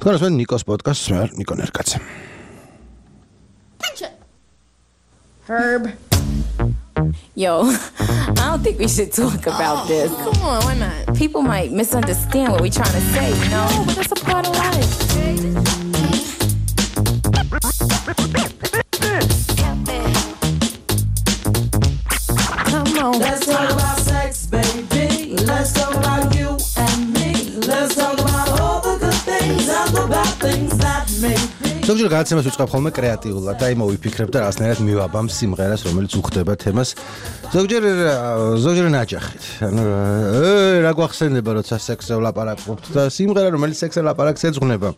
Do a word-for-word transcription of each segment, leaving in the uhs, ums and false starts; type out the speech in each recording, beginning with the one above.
თქვენ ასმენ ნიკოს პოდკასტს, მე ვარ ნიკო ნერკაცე. Herb. Yo, I don't think we should talk about this. Come on, why not? People might misunderstand what we're trying to say, you know? But that's a part of life. Come on. Let's talk about sex, baby. Let's talk about you and me. Let's talk about all the good things and the bad things that make me. ზოგჯერ გადაცემას ვიწყებ ხოლმე კრეატიულად და იმო ვიფიქრებ და რაღაცნაირად მივაბამ სიმღერას, რომელიც უხდება თემას. ზოგჯერ ზოგჯერ ნაჯახით. ანუ რა გვახსენდება, როცა სექსზე ვლაპარაკობთ და სიმღერა, რომელიც სექსზე ლაპარაკს ეძღვნება.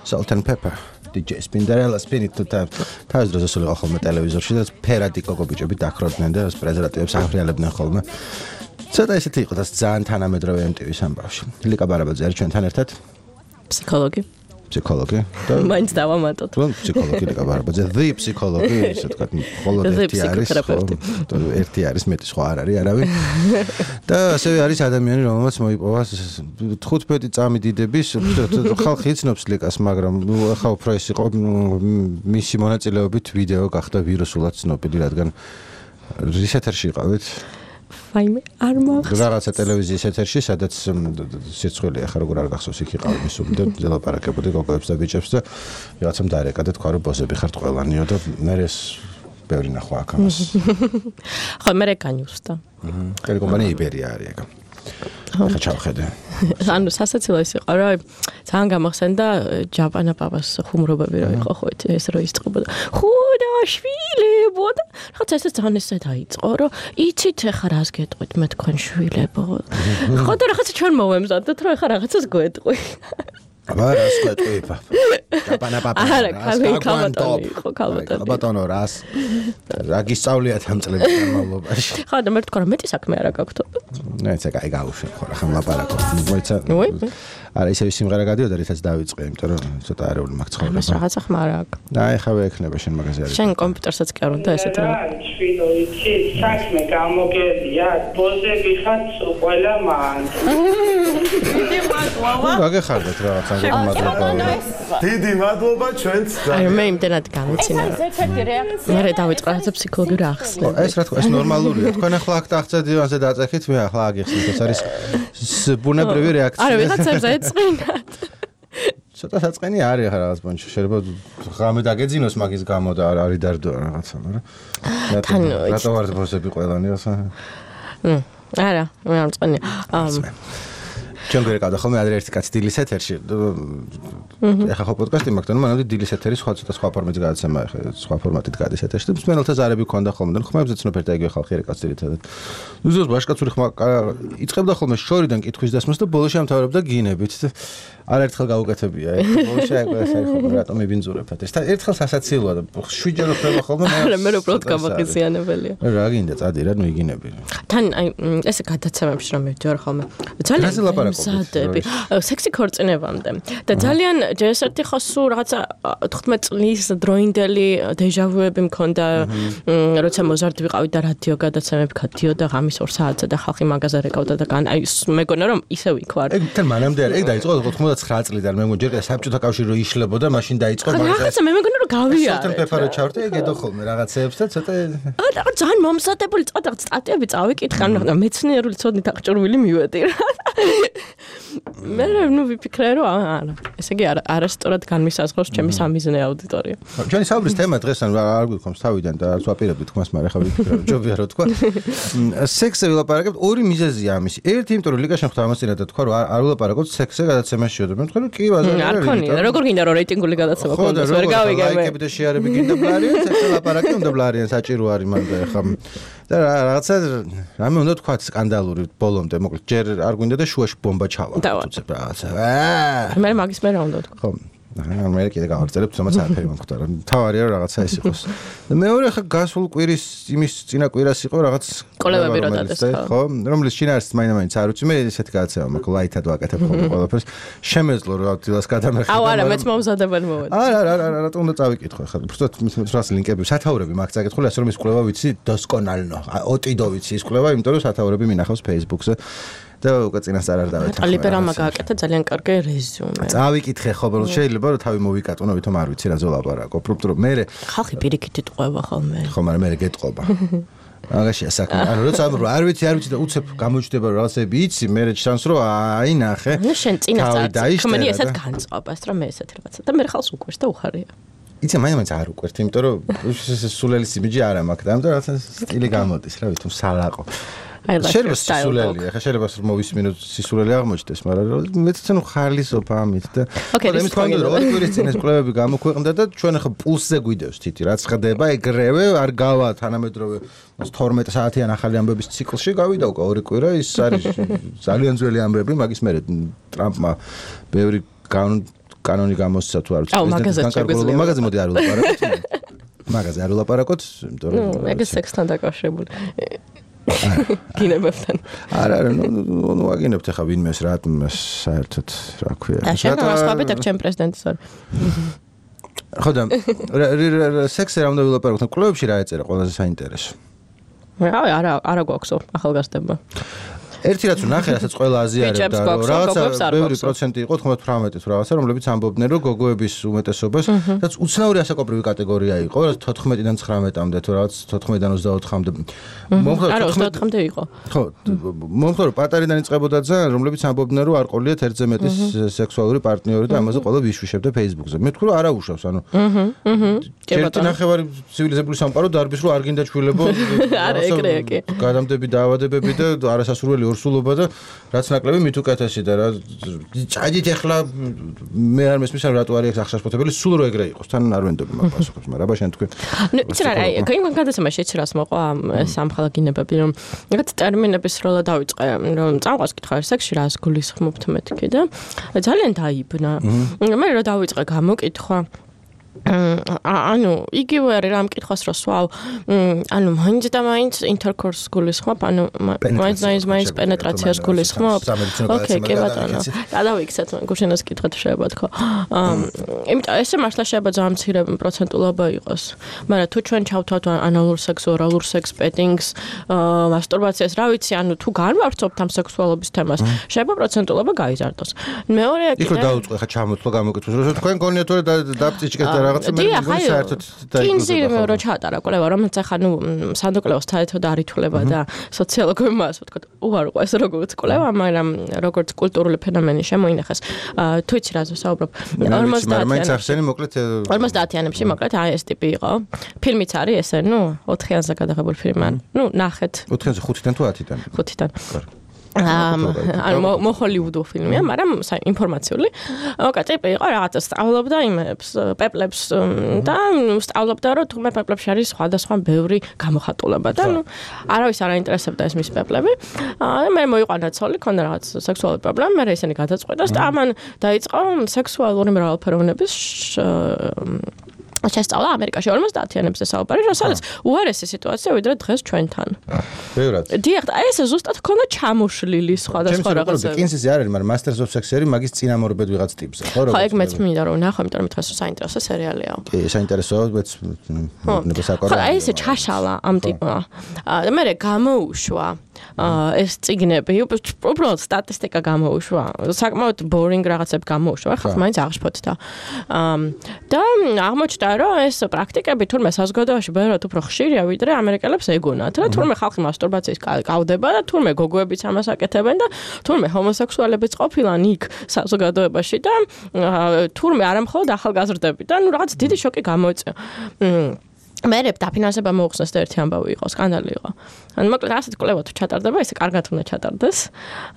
Salt and Pepper, დი ჯეი Spinderella Spinit და თავის დროზე სულიყო ხოლმე ტელევიზორში და ფერადი კოკობიჭები დაქროდნენ და პრეზერვატივებს აღრიალებდნენ ხოლმე. ცოტა ისეთი იყო და ძალიან თანამედროვე em tee ვის ამბავში. ლიკა ბარაბაძე არის ჩვენთან ერთად. ფსიქოლოგი. ფსიქოლოგი და მაინც დავამატოთ. თუ ფსიქოლოგი ლიკა ბარაბაძე, the ფსიქოლოგი, ისე თქვა, მხოლოდ ერთი არის, ხო, ერთი არის, მეტი სხვა არ არის, არავინ. და ასევე არის ადამიანი, რომელმაც მოიპოვა თხუთმეტი წამი დიდების, ხალხი იცნობს ლიკას, მაგრამ ახლა უფრო ეს იყო მისი მონაწილეობით ვიდეო გახდა ვირუსულად ცნობილი, რადგან რის ეთერში იყავით? Файме არ მახსოვს. რაღაცა ტელევიზიის ეთერში, სადაც სიცხელი ახლა როგორ არ გახსოვს, იქ იყავ მისუმ და ელაპარაკებოდი გოგოებს და ბიჭებს და რაღაცამ დაერეკა და თქვა რომ ბოსები ხართ ყველანიო და მე ეს ბევრი ნახვა აქ ამას. ხო, მე რეკანიუსტა. ხელი კომპანია იბერია არის ეგ. ხა ჩავხედე. ანუ სასაცილო ის იყო, რა ძალიან გამახსენდა ჯაპანა პაპას ხუმრობები რა იყო ხო ეს რო ისწყებოდა. ხუდა შვილებო და რაღაც ეს ძალიან ესე დაიწყო, რომ იცით ახლა რას გეტყვით მე თქვენ შვილებო. ხო და რაღაცა ჩვენ მოვემზადოთ, რომ ახლა რაღაცას გვეტყვი. აბა რას გვეტყვი პაპა? ჯაპანა პაპა. არა, ქალბატონი იყო, ქალბატონი. ქალბატონო რას? რა გისწავლიათ ამ წლების განმავლობაში? ხო და მე თქვა რომ მეტი საქმე არა გაქვთ. ნუ ეცა კაი გავუშვი ხო რა ხომ ლაპარაკობ. მოიცა. უი. არა ისევ სიმღერა გადიოდა, რითაც დავიწყე, იმიტომ რომ ცოტა არეული მაქვს ცხოვრება. მას რაღაცა ხმა არ აქვს. და ეხლა ვექნება შენ მაგაზე არის. შენ კომპიუტერსაც კი არ უნდა ესეთ რა. შვილო იცი, საქმე გამოგებია, ბოზები ხართ ყველა მან. დიდი მადლობა. გაგეხარდეთ რაღაცა მადლობა. დიდი მადლობა ჩვენც. აი მე იმდენად გამიცინა. მე დავიწყე რაღაცა ფსიქოლოგიური ახსნა. ეს რა თქმა, ეს ნორმალურია. თქვენ ახლა აქ ტახტზე დივანზე დაწეხით, მე ახლა აგიხსნით, ეს არის ბუნებრივი რეაქცია. არა, ვიღაცებს ეწყინათ. ცოტა საწყენი არის ახლა რაღაც პონჩი, შეიძლება ღამე დაგეძინოს მაგის გამო და არ არის დარდო რაღაცა, მაგრამ რატო ვარ ბოსები ყველანი ასა? ნუ, არა, მე არ მწყენია. ჩვენ გვერკავდა ხოლმე ადრე ერთი კაცი დილის ეთერში. ეხლა ხო პოდკასტი მაქვს, და მანამდე დილის ეთერი სხვა ცოტა სხვა ფორმატით გადაცემა, ეხლა სხვა ფორმატით გადის ეთერში. და მსმენელთა ზარები ქონდა ხოლმე და ხმებზე ცნობერდა იგივე ხალხი არის კაცი ერთადად. უზოს ბაშკაცური ხმა იწყებდა ხოლმე შორიდან კითხვის დასმას და ბოლოში ამთავრებდა გინებით. არაერთხელ გაუკეთებია, ეს ბოლოში აიყვე ეს არის ხოლმე რატომ იბინძურებთ ეს. და ერთხელ სასაცილოა და შვიჯერ ხდება ხოლმე. არა, მე უბრალოდ გამახიზიანებელია. რა გინდა წადი რა, ნუ იგინები. თან აი ესე გადაცემებში რომ მივდივარ ხოლმე. ძალიან მზადები. სექსი ქორწინებამდე. და ძალიან ჯერსერთი ხო სულ რაღაცა თხუთმეტი წლის დროინდელი დეჟავუები მქონდა, როცა მოზარდი ვიყავი და რადიო გადაცემები გადიოდა ღამის ორ საათზე და ხალხი მაგაზე რეკავდა და გან აი მეგონა რომ ისევ იქ ვარ. ეგ თან მანამდე არის, ეგ დაიწყო ოთხმოცდათცხრა წლიდან, მე მგონი საბჭოთა კავშირი რო იშლებოდა, მაშინ დაიწყო მაგას. რაღაცა მე მეგონა რომ გავიარე. სულთან პეპარო ჩავრდი, ეგ ედო ხოლმე რაღაცეებს და ცოტა აა ძალიან მომსადებული წადა სტატიები წავიკითხე, ანუ მეცნიერული ცოდნით აღჭურვილი მივედი რა. მე ნუ ვიფიქრე რომ არა, ესე იგი არა არასწორად განმისაზღვრავს ჩემი სამიზნე აუდიტორია. ჩვენი საუბრის თემა დღეს ან არ გვიქონს თავიდან და არც ვაპირებდი თქვას, მაგრამ ახლა ვიფიქრე რომ ჯობია რომ თქვა. სექსზე ვილაპარაკებთ, ორი მიზეზია ამისი. ერთი, იმიტომ რომ ლიკა შეხდა ამას წინა და თქვა რომ არ ვილაპარაკოთ სექსზე გადაცემაში და მე ვთქვა რომ კი ბაზარი არ ქონია, როგორ გინდა რომ რეიტინგული გადაცემა ქონდეს, ვერ გავიგე მე. ლაიკები და შეარები გინდა ბლარიან, სექსზე ლაპარაკი უნდა ბლარიან, საჭირო არის მან და ახლა და რაღაცა რამე უნდა თქვა სკანდალური ბოლომდე, მოკლედ ჯერ არ გვინდა და შუაში ბომბა ჩავა. უცებ რაღაცა. მე მაგის მე რა უნდა თქვა. ხო. აა მე კიდე გავაგრძელებ, თუმცა არაფერი მომხდარა. თავარია რომ რაღაცა ეს იყოს. და მეორე ხა გასულ კვირის იმის წინა კვირას იყო რაღაც კოლევები რა დადეს ხო? რომლის შინაარსს მაინც არ უცი, მე ესეთი გადაცემა მაქვს, ლაითად ვაკეთებ ხოლმე ყველაფერს. შემეძლო რომ დილას გადამეხება. აუ არა, მეც მომზადებელი მოვედი. არა, არა, არა, რატომ უნდა წავიკითხო ხა? უბრალოდ მის ლინკები, სათაურები მაქვს წაკითხული, ასე რომ ის კვლევა ვიცი დოსკონალნო. ოტიდო ვიცი ის კვლევა, იმიტომ რომ სათაურები მინახავს Facebook-ზე. და უკვე წინასწარ არ დავეთანხმე. ლიბერალმა გააკეთა ძალიან კარგი რეზიუმე. წავიკითხე ხო, ბოლოს შეიძლება რომ თავი მოვიკატონო, ვითომ არ ვიცი რა ზოლაპარაკო. პროპტრო მე ხალხი პირიქით იტყובה ხოლმე. ხო, მაგრამ მე გეტყობა. მაგაშია საქმე. ანუ როცა არ ვიცი, არ ვიცი და უცებ გამოჩნდება რომ რაღაცები იცი, მე ჩანს რომ აი ნახე. ნუ შენ წინასწარ ხმენი ესეთ განწყობას, რომ მე ესეთ რაღაცა და მე ხალხს უყვერს და უხარია. იცი მაინც არ უყვერთ, იმიტომ რომ სულელის იმიჯი არ მაქვს და ამიტომ რაღაცა სტილი გამოდის რა ვითომ სალაყო. შეიძლება სისულელი, ახლა შეიძლება მოვისმინო სისულელი აღმოჩნდეს, მაგრამ მეც ცნო ხალისოფ ამით და იმის კონდო რომ ორი კვირის წინ ეს კვლევები გამოქვეყნდა და ჩვენ ახლა პულსზე გვიდევს თითი, რაც ხდება, ეგრევე არ გავა თანამედროვე თორმეტ საათიან ახალი ამბების ციკლში გავიდა უკვე ორი კვირა, ის არის ძალიან ძველი ამბები, მაგის მერე ტრამპმა ბევრი კანონი გამოსცა თუ არ ვიცი, პრეზიდენტის განკარგულება, მაგაზე მოდი არ ვილაპარაკოთ. მაგაზე არ ვილაპარაკოთ, იმიტომ რომ ეგ სექსთან დაკავშირებული. გინებებთან. არა, არა, ნუ ნუ აგინებთ ახლა ვინმეს რა საერთოდ რა ქვია. და შენ მასწავლეთ აქ ჩემ პრეზიდენტის ვარ. ხო და სექსზე რა უნდა ვილაპარაკოთ? კლუბებში რა ეწერა ყველაზე საინტერესო? რა არა არა გვაქვსო ახალგაზრდებმა. ერთი რაც ნახე, რასაც ყველა აზიარებდა, რომ რაღაცა ბევრი პროცენტი იყო, თხმეტ-ათმეტი თუ რაღაცა, რომლებიც ამბობდნენ, რომ გოგოების უმეტესობას, რაც უცნაური ასაკობრივი კატეგორია იყო, რაც თოთხმეტიდან ცხრამეტამდე თუ რაღაც თოთხმეტიდან ოცდაოთხამდე. არა, ოცდაოთხამდე იყო. ხო, მომხდარო პატარიდან იწყებოდა ძალიან, რომლებიც ამბობდნენ, რომ არ ყოლიათ ერთზე მეტი სექსუალური პარტნიორი და ამაზე ყველა ვიშვიშებდა Facebook-ზე. მე თქვი, რომ არა უშავს, ანუ. აჰა, აჰა. ერთი ნახევარი ცივილიზებული სამყარო დარბის, რომ არ გინდა ჩვილებო. არა, ეგრეა კი. გადამდები დაავადებები და არასასურველი სულობა და რაც ნაკლები მით უკეთესი და რა ჭადით ახლა მე არ მესმის რომ რატო არის ახსასფოთებელი სულ რო ეგრე იყოს თან არ ვენდობი მაგ პასუხებს მაგრამ აბა შენ თქვი ნუ იცი რა აი კაინ გადაცემაში ეცი რას მოყვა სამხალაგინებები რომ რაღაც ტერმინების როლა დავიწყე რომ წამყვას კითხავ სექსში რას გულისხმობთ მეთქი და ძალიან დაიბნა მე რო დავიწყე გამოკითხვა ანუ იგივე არის რა მკითხვას რო სვავ ანუ მაინც და მაინც ინტერკორს გულისხმობ ანუ მაინც მაინც მაინც პენეტრაციას გულისხმობ ოკეი კი ბატონო გადავიქცეთ გუშინას კითხეთ შეიძლება თქო იმიტომ ესე მართლა შეიძლება ძალიან მცირე პროცენტულობა იყოს მაგრამ თუ ჩვენ ჩავთავთ ანალურ სექს ორალურ სექს პეტინგს მასტურბაციას რა ვიცი ანუ თუ განვავრცობთ ამ სექსუალობის თემას შეიძლება პროცენტულობა გაიზარდოს მეორე იქ რო დაუწყე ხა ჩამოთვლა გამოკითხვის რო თქვენ გონიათ რომ დაფწიჭკეთ და რაღაცა მე საერთოდ კინზი რო ჩაატარა კვლევა რომელიც ახლა ნუ სანდოკლევოს საერთოდ არ ითვლება და სოციოლოგებმა ასე ვთქვათ უარყო ეს როგორც კვლევა მაგრამ როგორც კულტურული ფენომენი შემოინახეს თუ იცი რა ვსაუბრობ ორმოცდაათიანებში მოკლედ აი ეს ტიპი იყო ფილმიც არის ესე ნუ ოთხიანზე გადაღებული ფილმი ნუ ნახეთ ოთხიანზე ხუთიდან თუ ათიდან ხუთიდან ანუ მოჰოლივუდო ფილმია, მაგრამ ინფორმაციული. ოკეი, ტიპი იყო რაღაცა სწავლობდა იმებს, პეპლებს და სწავლობდა რომ თუმცა პეპლებში არის სხვადასხვა ბევრი გამოხატულება და ნუ არავის არ აინტერესებდა ეს მის პეპლები. და მე მოიყვანა ცოლი, ქონდა რაღაც სექსუალური პრობლემა, მე ისინი გადაწყვეტას და ამან დაიწყო სექსუალური მრავალფეროვნების შესწავლა ამერიკაში ორმოცდაათიანებზე საუბარი, რასაც უარესი სიტუაცია ვიდრე დღეს ჩვენთან. ბევრად. დიახ, აი ეს ზუსტად ქონდა ჩამოშლილი სხვადასხვა რაღაცები. კინსიზი არ არის, მაგრამ Masters of Sex არის მაგის წინამორბედ ვიღაც ტიპზე, ხო? ხო, ეგ მეც მინდა რომ ნახო, იმიტომ რომ მითხეს რომ საინტერესო სერიალიაო. კი, საინტერესოა, მეც ნებასაკორო. ხო, აი ესე ჩაშალა ამ ტიპმა. და მე გამოუშვა ეს წიგნები, უბრალოდ სტატისტიკა გამოუშვა. საკმაოდ boring რაღაცები გამოუშვა, ხო, მაინც აღშფოთდა. და აღმოჩნდა რომ ეს პრაქტიკები თურმე საზოგადოებაში ბევრად უფრო ხშირია ვიდრე ამერიკელებს ეგონათ. რა თურმე ხალხი მასტურბაციის გავდება და თურმე გოგოებიც ამას აკეთებენ და თურმე ჰომოსექსუალებიც ყოფილან იქ საზოგადოებაში და თურმე არა მხოლოდ ახალგაზრდები და ნუ რაღაც დიდი შოკი გამოიწვია. მერე დაფინანსება მოუხსნეს და ერთი ამბავი იყო, სკანდალი იყო. ანუ მოკლედ ასეთ კვლევა თუ ჩატარდება, ესე კარგად უნდა ჩატარდეს.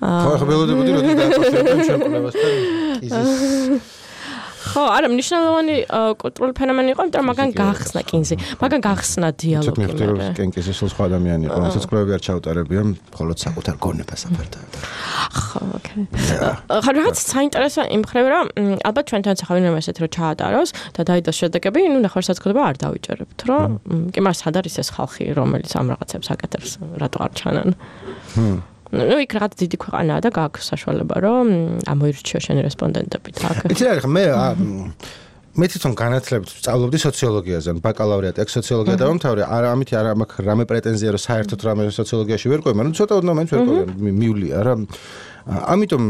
ხო, ხო, ველოდებოდი რომ დააკავშირებენ ჩვენ კვლევასთან. იზის ხო, არა, მნიშვნელოვანი კულტურული ფენომენი იყო, მაგრამ მაგან გახსნა კინზი. მაგან გახსნა დიალოგი. მე ვთქვი, რომ კინკიზი სულ სხვა ადამიანი იყო, რასაც კვლევები არ ჩაუტარებია, მხოლოდ საკუთარ გონებას აფერდა. ხო, ოკეი. ხო, რაღაც საინტერესო იმ მხრივ, რომ ალბათ ჩვენთან ახავინემ ესეთ რომ ჩაატაროს და დაიდოს შედეგები, ნუ ნახევარსაწყოდება არ დავიჭერებთ, რომ კი მას სად არის ეს ხალხი, რომელიც ამ რაღაცებს აკეთებს, რატო არ ჩანან. ჰმ ნუ იქ რაღაც დიდი ქვეყანაა და გააქვს საშუალება რომ ამოირჩიო შენი რესპონდენტები თქ. იცი რა ხა მე მე თვითონ განათლებით სწავლობდი სოციოლოგიაზე, ბაკალავრიატი აქ სოციოლოგია დავამთავრე, არა ამით არა მაქვს რამე პრეტენზია რომ საერთოდ რამე სოციოლოგიაში ვერ ყვე, მაგრამ ცოტა ოდნავ მაინც ვერ ყვე, მივლია რა. ამიტომ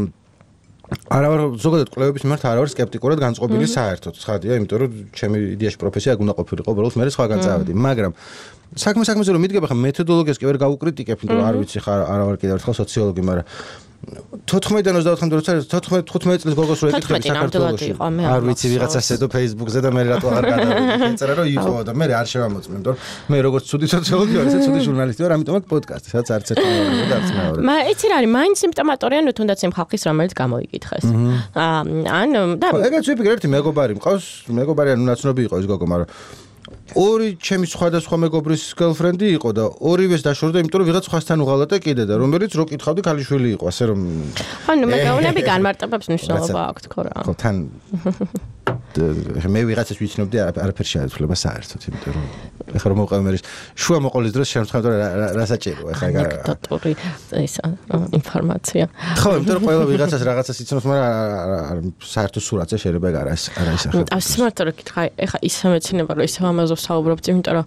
არა ვარ ზოგადად კვლევების მიმართ არა ვარ სკეპტიკურად განწყობილი საერთოდ, ცხადია, იმიტომ რომ ჩემი იდეაში პროფესია აქ უნდა ყოფილიყო, უბრალოდ მე სხვაგან წავედი, მაგრამ საქმე საქმეზე რომ მიდგება, ხა მეთოდოლოგიას კი ვერ გავუკრიტიკებ, იმიტომ რომ არ ვიცი ხარ არა ვარ კიდევ ერთხელ სოციოლოგი, მაგრამ თოთხმეტიდან ოცდაოთხამდე როცა თოთხმეტ თხუთმეტ წლის გოგოს რო ეკითხები საქართველოში არ ვიცი ვიღაცა შედო Facebook-ზე და მე რატო აღარ გადავედი ეწერა რომ იყო და მე არ შევამოწმე იმიტომ რომ მე როგორც ცუდი სოციოლოგი ვარ ესე ცუდი ჟურნალისტი ვარ ამიტომ აქ პოდკასტი სადაც არც ერთი მეორე და არც მეორე მა იცი რა არის მაინც სიმპტომატორია ნუ თუნდაც იმ ხალხის რომელიც გამოიკითხეს ან და ეგეც ვიფიქრე ერთი მეგობარი მყავს მეგობარი ანუ ნაცნობი იყო ეს გოგო მაგრამ ორი ჩემი სხვადასხვა მეგობრის girlfriend-ი იყო და ორივეს დაშორდა, იმიტომ რომ ვიღაც სხვასთან უღალატე კიდე და რომელიც რო კითხავდი ქალიშვილი იყო, ასე რომ ანუ მეგობრები განმარტებებს მნიშვნელობა აქვს ხო რა. ხო თან მე ვიღაცას ვიცნობდი არაფერ შეეძლება საერთოდ, იმიტომ რომ ეხლა რომ მოყავ მე შუა მოყოლის დროს შემთხვევით რა საჭიროა ეხლა ანეკდოტური ეს ინფორმაცია. ხო, იმიტომ რომ ყველა ვიღაცას რაღაცას იცნობს, მაგრამ საერთოდ სურათზე შეიძლება არა არა ისახება. და სიმართლე რომ კითხა, ეხლა ისე მეცინება რომ ისე ამაზე საუბრობთ, იმიტომ რომ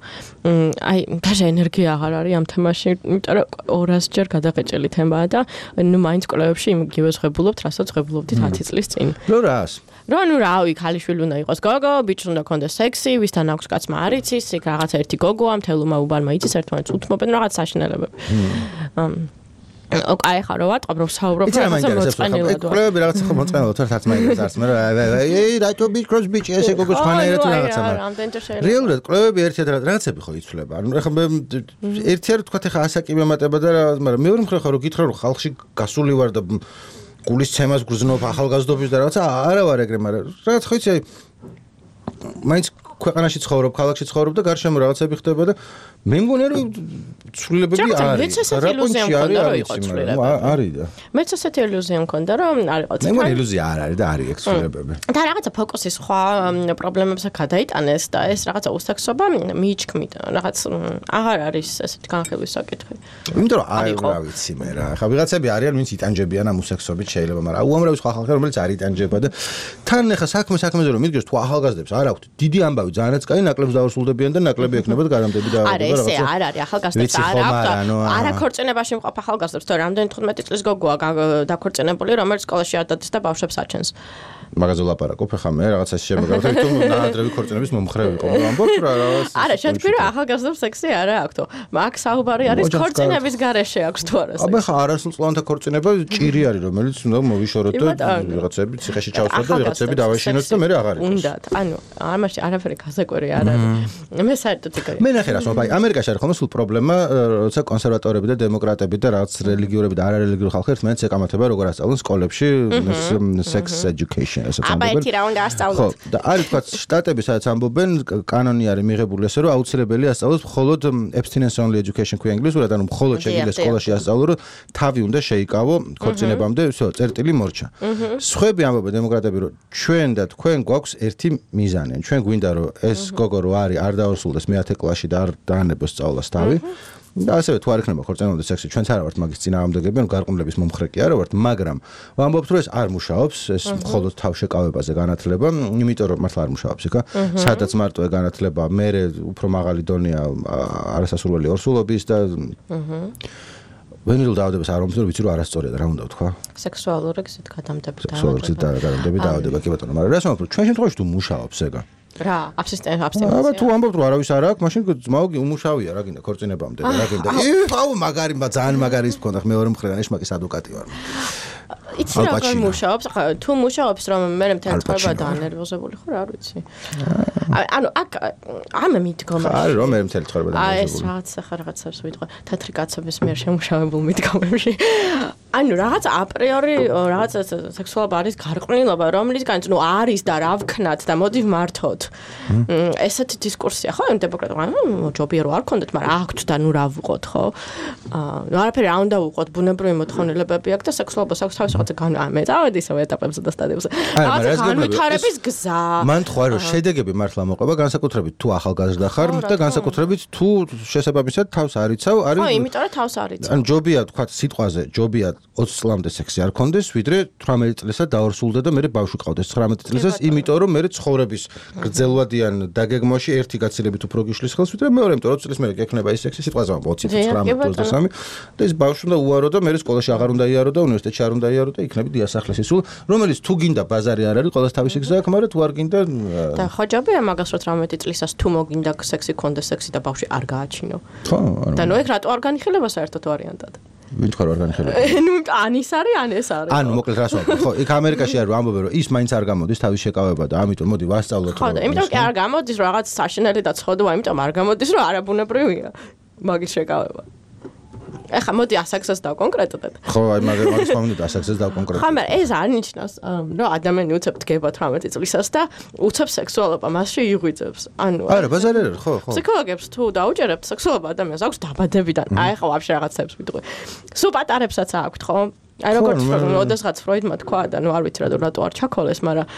აი დაჟე ენერგია აღარ არის ამ თემაში, იმიტომ რომ ორას ჯერ გადაღეჭილი თემაა და ნუ მაინც კვლევებში იმგივე ზღებულობთ, რასაც ზღებულობდით ათი წლის წინ. ნუ რას? რა ნუ რავი, ქალიშვილი უნდა იყოს გოგო, ბიჭს უნდა ქონდეს სექსი, ვისთან აქვს კაცმა არ იცის, იქ რაღაც ერთი გოგოა, მთელმა უბანმა იცის, ერთმანეთს უთმობენ რაღაც საშინელებები. აი ხა რო ვატყობ რომ საუბრობ რაღაცა მოწყენილად. კვლევები რაღაცა ხო მოწყენილად თორე თაც მაინც არც მე რა აი რატო ბიჭ კროს ბიჭ ესე გოგოს ხანაერად რაღაცა მაგრამ რეალურად კვლევები ერთად რაღაცები ხო იცვლება. ანუ ეხლა მე ერთიარ თქვა ეხლა ასაკი მემატება და მაგრამ მეორე მხრივ ხო რო გითხრა რომ ხალხში გასული ვარ და გულისცემას გრძნობ ახალგაზრდობის და რაღაცა არა ვარ ეგრე მაგრამ რაღაც ხო იცი აი მაინც ქვეყანაში ცხოვრობ, ქალაქში ცხოვრობ და გარშემო რაღაცები ხდება და მე მგონია რომ ცვლილებები არის. რა პონჩი არის არის და მეც ასეთი ილუზია მქონდა რომ არ იყო. მე მგონი ილუზია არ არის და არის ეგ ცვლილებები. და რაღაცა ფოკუსი სხვა პრობლემებზე გადაიტანეს და ეს რაღაცა უსექსობა მიიჩქმით. რაღაც აღარ არის ესეთი განხილვის საკითხი. იმიტომ რომ აი რა ვიცი მე რა. ხა ვიღაცები არიან ვინც იტანჯებიან ამ უსექსობით შეიძლება, მაგრამ უამრავი სხვა ხალხი რომელიც არ იტანჯება და თან ახლა საქმე საქმეზე რომ მიდგეს თუ ახალგაზრდებს არ აქვთ დიდი ამბავი ძალიანაც კაი ნაკლებს დაურსულდებიან და ნაკლები ექნებათ გარამდები და ესე არ არის ახალგაზრდებს არ აქვს არა ქორწინებაში მყოფ ახალგაზრდებს თორე რამდენი თხუთმეტი წლის გოგოა დაქორწინებული რომელიც სკოლაში არ დადის და ბავშვებს აჩენს მაგაზე ლაპარაკობ ხა მე რაღაცა შემოგავთ თუ ნაადრევი ქორწინების მომხრე ვიყო ამბობ რა რაღაც არა შეთქვი რა ახალგაზრდებს სექსი არა აქვს მაგ საუბარი არის ქორწინების გარეშე აქვს თუ არა აბა ხა არასრულწლოვანთა ქორწინება ჭირი არის რომელიც უნდა მოვიშოროთ და ვიღაცები ციხეში ჩავსვათ და ვიღაცები დავაშინოთ და მე აღარ იყოს უნდა ანუ ამაში არაფერი გასაკვირი არ არის მე საერთოდ ეგ მე ნახე რას ვაბაი ამერიკაში არის ხოლმე სულ პრობლემა როცა კონსერვატორები და დემოკრატები და რაღაც რელიგიურები და არარელიგიური ხალხი ერთმანეთს ეკამათება როგორ ასწავლონ სკოლებში sex education აბა ერთი რა უნდა ასწავლოთ. ხო, და არის თქვა შტატები სადაც ამბობენ, კანონი არის მიღებული ესე რომ აუცილებელია ასწავლოს მხოლოდ abstinence only education ქვია ინგლისურად, ანუ მხოლოდ შეგვიძლია სკოლაში ასწავლო, რომ თავი უნდა შეიკავო ქორწინებამდე, всё, წერტილი მორჩა. სხვები ამბობენ დემოკრატები, რომ ჩვენ და თქვენ გვაქვს ერთი მიზანი. ჩვენ გვინდა რომ ეს გოგო რო არის არ დაორსულდეს მეათე კლასში და არ დაანებოს სწავლას თავი. და ასევე თუ არ იქნება ქორწინებამდე სექსი, ჩვენც არა ვართ მაგის წინააღმდეგები, ანუ გარყვნილების მომხრე კი არა ვართ, მაგრამ ვამბობთ რომ ეს არ მუშაობს, ეს მხოლოდ თავშეკავებაზე განათლება, იმიტომ რომ მართლა არ მუშაობს იქა. სადაც მარტო ეგ განათლება, მე უფრო მაღალი დონეა არასასურველი ორსულობის და ვენილ დაავადებას არ მომწონს, ვიცი რომ არასწორია და რა უნდა ვთქვა? სექსუალური გზით გადამდები დაავადება. სექსუალური გადამდები დაავადება კი ბატონო, მაგრამ რას ვამბობ, ჩვენ შემთხვევაში თუ მუშაობს ეგა რა აბსტინენცია აბსტინენცია აბა თუ ამბობთ რომ არავის არ აქვს მაშინ ძმაო უმუშავია რა გინდა ქორწინებამდე რა გინდა აუ მაგარი ძალიან მაგარი ის მქონდა მეორე მხრიდან ეშმაკის ადვოკატი ვარ იცი რა როგორ მუშაობს ხა თუ მუშაობს რომ მე მთელი ცხოვრება დაანერვოზებული ხო რა არ ვიცი ანუ აქ ამ მიდგომა არის რომ მე მთელი ცხოვრება დაანერვოზებული აი ეს რაღაც ხა რაღაცებს ვიტყვი თეთრი კაცების მიერ შემუშავებულ მიდგომებში ანუ რაღაც აპრიორი რაღაც სექსუალობა არის გარყვნილობა რომლისგანაც ნუ არის და რა ვქნათ და მოდი ვმართოთ ესეთი დისკურსია ხო დემოკრატია ჯობია რომ არ გქონდეთ მაგრამ აქვთ და ნუ რა ვუყოთ ხო აა არაფერი არ უნდა ვუყოთ ბუნებრივი მოთხოვნილებები აქვს და სექსუალობას აქვს თავის რაღაცა განამე წავედი ისევ ეტაპებზე და სტადიებზე რაღაცა განვითარების გზა მან თქვა რომ შედეგები მართლა მოყვება განსაკუთრებით თუ ახალგაზრდა ხარ და განსაკუთრებით თუ შესაბამისად თავს არ იცავ არის ხო იმიტომ რომ თავს არ იცავ ან ჯობია თქვა სიტყვაზე ჯობია ოცი წლამდე სექსი არ ქონდეს, ვიდრე თვრამეტი წლისა დაორსულდა და მე ბავშვი ყავდეს ცხრამეტი წლისას, იმიტომ რომ მე ცხოვრების გრძელვადიან დაგეგმვაში ერთი გაცილებით უფრო გიშლის ხელს, ვიდრე მეორე, იმიტომ რომ ოცი წლის მერე გექნება ის სექსი, სიტყვაზე ოცი, ცხრამეტი, ოცდასამი და ეს ბავშვი უნდა უარო და მე სკოლაში აღარ უნდა იარო და უნივერსიტეტში არ უნდა იარო და იქნები დიასახლეს ისულ, რომელიც თუ გინდა ბაზარი არ არის, ყველას თავისი გზა აქვს, მაგრამ თუ არ გინდა და ხოჯობია მაგას რომ თვრამეტი წლისას თუ მოგინდა სექსი ქონდეს, სექსი და ბავშვი არ გააჩინო. ხო, და ნუ ეგ რატო არ განიხილება საერთოდ ვარიანტად? ვინ თქვა რომ არ განიხილება? ნუ ან ის არის, ან ეს არის. ანუ მოკლედ რას ვამბობ? ხო, იქ ამერიკაში არის რომ ამბობენ რომ ის მაინც არ გამოდის თავის შეკავება და ამიტომ მოდი ვასწავლოთ. ხო, და იმიტომ კი არ გამოდის რომ რაღაც საშინელი და ცხოდვა, იმიტომ არ გამოდის რომ არაბუნებრივია მაგის შეკავება. ეხა მოდი ასაქსას დავკონკრეტდეთ. ხო, აი მაგ მაგის მომენტი ასაქსას დავკონკრეტდეთ. ხო, მაგრამ ეს არ ნიშნავს, რომ ადამიანი უცებ დგება თვრამეტი წლისას და უცებ სექსუალობა მასში იღვიძებს. ანუ არა, ბაზარი არ არის, ხო, ხო. ფსიქოლოგებს თუ დაუჭერებთ სექსუალობა ადამიანს აქვს დაბადებიდან. აი ხო, ვაფშე რაღაცებს ვიტყვი. სულ პატარებსაც აქვთ, ხო? აი როგორც როდესღაც ფროიდმა თქვა და ნუ არ ვიცი რატო არ ჩაქოლეს, მაგრამ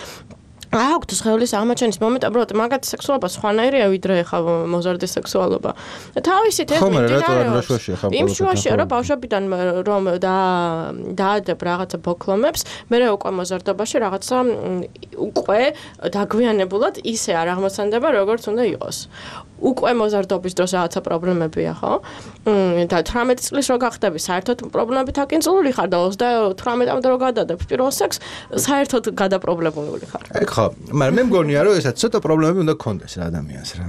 აქვთ სხეულის აღმოჩენის მომენტი, უბრალოდ მაგათი სექსუალობა სხვანაირია ვიდრე ხა მოზარდის სექსუალობა. თავისით ეს მიმდინარეობს. იმ შუაში რომ ბავშვებიდან რომ და დაადებ რაღაცა ბოქლომებს, მე უკვე მოზარდობაში რაღაცა უკვე დაგვიანებულად ისე არ აღმოცენდება, როგორც უნდა იყოს. უკვე მოზარდობის დროს რაღაცა პრობლემებია, ხო? და თვრამეტი წლის რო გახდები, საერთოდ პრობლემებით აკინწულული ხარ და ოცდათვრამეტამდე რო გადადებ პირველ სექსს, საერთოდ გადაპრობლემებული ხარ. ეგ ხო, მაგრამ მე მგონია რომ ესაც ცოტა პრობლემები უნდა გქონდეს რა ადამიანს რა.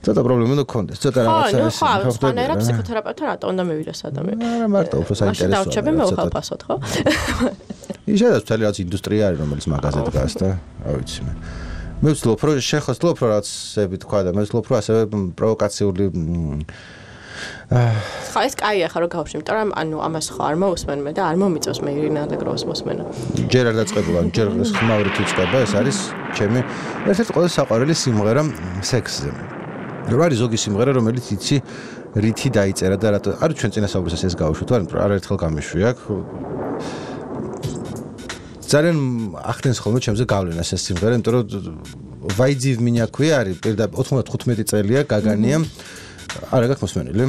ცოტა პრობლემები უნდა გქონდეს, ცოტა რაღაცა ეს. ხო, ხო, სხვანაირად ფსიქოთერაპევტთან რატო უნდა მივიდეს ადამიანი? არა, მარტო უფრო საინტერესოა. დავჩები მე უხალფასოდ, ხო? ისედაც მთელი რაღაც ინდუსტრია არის, რომელიც მაგაზე დგას და რა ვიცი მე. მე ვცდილობ რომ შეხოს ვცდილობ რომ რაღაცები თქვა და მე ვცდილობ რომ ასევე პროვოკაციული ხა ეს კაია ხა რომ გავშემ, იმიტომ რომ ანუ ამას ხო არ მოусმენ მე და არ მომიწევს მე ირინა ალეგროვას მოსმენა. ჯერ არ დაწყებულა, ჯერ ეს ხმაურით იწყება, ეს არის ჩემი ერთ-ერთი ყველაზე საყვარელი სიმღერა სექსზე. რა არის ზოგი სიმღერა, რომელიც იცი რითი დაიწერა და რატო არ ჩვენ წინასაუბრისას ეს გავუშვით, მაგრამ არ ერთხელ გამიშვი აქ. ძალიან ახდენს ხოლმე ჩემზე გავლენას ეს სიმღერა, იმიტომ რომ ვაიძივ მინია ქვია არის პირდაპირ ოთხმოცდათხუთმეტი წელია გაგანია. არა გაქვს მოსმენილი?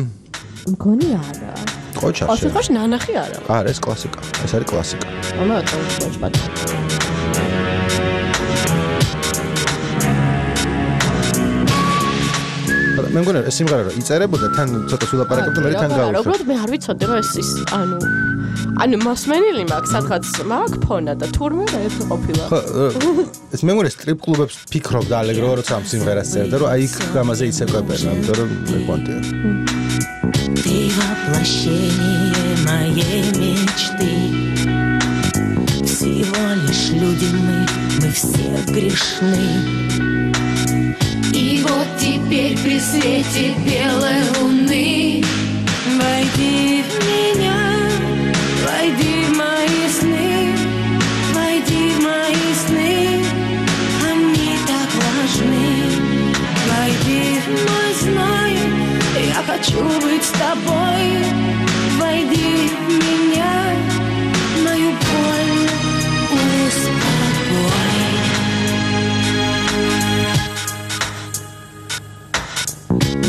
მგონი არა. ყოჩა. ოთი ხოშ ნანახი არა. არა, ეს კლასიკა. ეს არის კლასიკა. ამა თავს ბატ. მე მგონი ეს სიმღერა რომ იწერებოდა თან ცოტა სულაპარაკებდა მე თან გავუშვი. უბრალოდ მე არ ვიცოდი რომ ეს ის ანუ ანუ მოსმენილი მაქვს სადღაც მაქვს ფონა და თურმე რა ერთი ყოფილა. ხო, ეს მე მგონი სტრიპ კლუბებს ფიქრობდა ალეგრო როცა ამ სიმღერას წერდა რომ აი იქ გამაზე იცეკვებენ, ამიტომ რომ მე ყვანტია. Ты воплощение моей мечты. Всего лишь люди мы, мы все грешны. И вот теперь при свете белой луны войди в меня, войди в мои сны, войди в мои сны, они так важны. Войди в мой зной, я хочу быть с тобой. Войди в меня, мою боль успокой.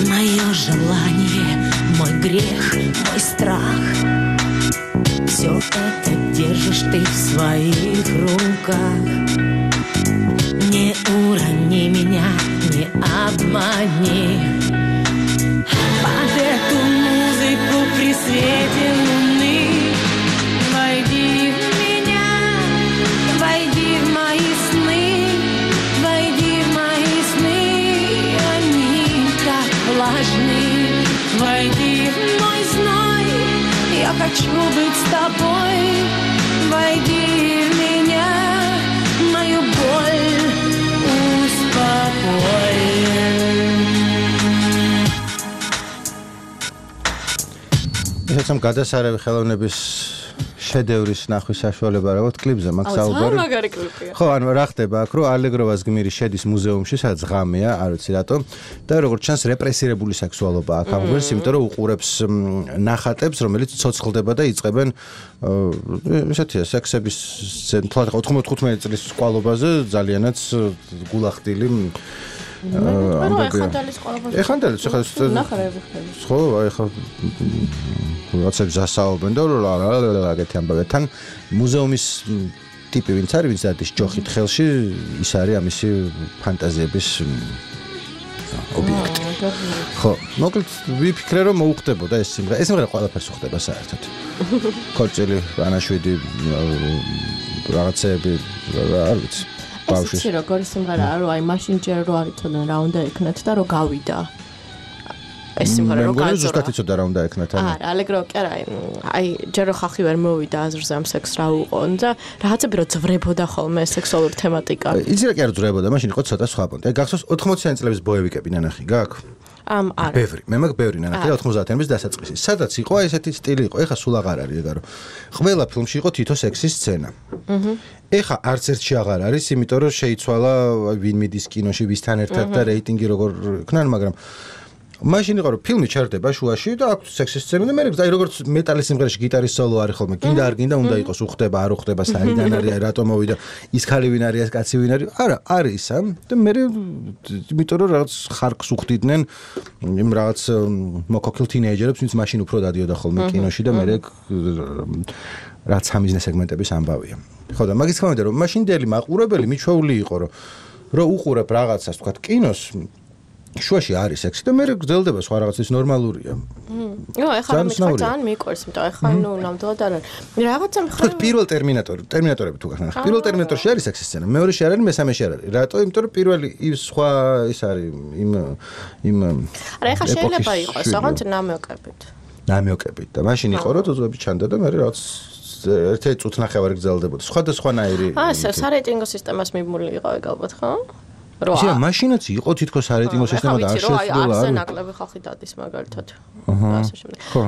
Мое желание, мой грех, мой страх. Все это держишь ты в своих руках. Не урони меня, не обмани. Под эту музыку при свете луны войди в меня, войди в мои сны, войди в мои сны, они так влажны. Войди в мой зной, я хочу быть с тобой. Войди в меня, мою боль успокой. ეს ამ გადასარევი ხელოვნების შედევრის ნახვის საშუალება რა ვთქვი კლიპზე მაგ საუბარი. მაგარი კლიპია. ხო, ანუ რა ხდება აქ რომ ალეგროვას გმირი შედის მუზეუმში, სადაც ღამეა, არ ვიცი რატო. და როგორც ჩანს რეპრესირებული სექსუალობა აქ აღგვერს, იმიტომ რომ უყურებს ნახატებს, რომელიც ცოცხლდება და იწყებენ ესეთია სექსების ოთხმოცდათხუთმეტი წლის სკვალობაზე ძალიანაც გულახდილი ეხანდალის ყველაფერს. ეხანდალის ხა ნახარები ხდება. ხო, აი ხა როცა გასაუბრენ და აგეთი ამბავი თან მუზეუმის ტიპი ვინც არის, ვინც არის ჯოხით ხელში, ის არის ამისი ფანტაზიების ობიექტი. ხო, მოკლედ ვიფიქრე რომ მოუხდებოდა ეს სიმღერა. ეს სიმღერა ყველაფერს უხდება საერთოდ. ქორწილი, ანაშვიდი, რაღაცები, არ ვიცი. ბავშვის. ეს როგორი სიმღერაა, რომ აი მაშინ ჯერ რო არ იცოდნენ რა უნდა ეკნათ და რო გავიდა. ეს სიმღერა რო გაძორა. მე ზუსტად იცოდა რა უნდა ეკნათ. არა, ალეგრო კი არა, აი ჯერ რო ხალხი ვერ მოვიდა აზრზე ამ სექს რა უყონ და რაღაცები რო ძვრებოდა ხოლმე სექსუალური თემატიკა. იცი რა კი არ ძვრებოდა, მაშინ იყო ცოტა სხვა პონტი. აი გახსოვს ოთხმოციანი წლების ბოევიკები ნანახი გაქვს? ამ არა. ბევრი, მე მაგ ბევრი ნანახი და ოთხმოცდაათიანების დასაწყისი. სადაც იყო აი ესეთი სტილი იყო, ეხა სულ აღარ არის ეგარო. ყველა ფილმში იყო თითო სექსის სცენა. აჰა. ეხა არც ერთში აღარ არის, იმიტომ რომ შეიცვალა ვინ მიდის კინოში ვისთან ერთად და რეიტინგი როგორ ქნან, მაგრამ მაშინ იყო რომ ფილმი ჩერდება შუაში და აქვს სექსის სცენა და მე აი როგორც მეტალის სიმღერაში გიტარის სოლო არის ხოლმე, გინდა არ გინდა უნდა იყოს უხდება, არ უხდება, საიდან არის, რატომ მოვიდა, ის ხალი ვინ არის, ეს კაცი ვინ არის? არა, არის ისა და მე იმიტომ რომ რაღაც ხარკს უხდიდნენ იმ რაღაც მოკოკილ თინეიჯერებს, ვინც მაშინ უფრო დადიოდა ხოლმე კინოში და მე რაც ამიზნე სეგმენტების ამბავია. ხო და მაგის გამომდინარე რომ მაშინდელი მაყურებელი მიჩვეული იყო რომ რო უყურებ რაღაცას თქვა კინოს შუაში არის სექსი და მე გრძელდება სხვა რაღაცის ნორმალურია. იო, ეხლა მე ძალიან მიყვარს, იმიტომ ეხლა ნუ ნამდვილად არ არის. რაღაცა მხრივ პირველ ტერმინატორი, ტერმინატორები თუ გახსნათ. პირველ ტერმინატორში არის სექსის სცენა, მეორეში არ არის, მესამეში არ არის. რატო? იმიტომ რომ პირველი ის სხვა ის არის იმ იმ არა, ეხლა შეიძლება იყოს, ოღონდ ნამიოკებით. ნამიოკებით და მაშინ იყო რომ ძუძუები ჩანდა და მე რაღაც ერთ-ერთი წუთნახევარი გრძელდებოდა. სხვადასხვანაირი. აა, სარეიტინგო სისტემას მიმული იყო ეგ ალბათ, ხო? რა მაშინაც იყო თითქოს სარეიტინგო სისტემა და არ შეცვლა არა ნაკლები ხალხი დადის მაგალითად ასე შემდეგ ხო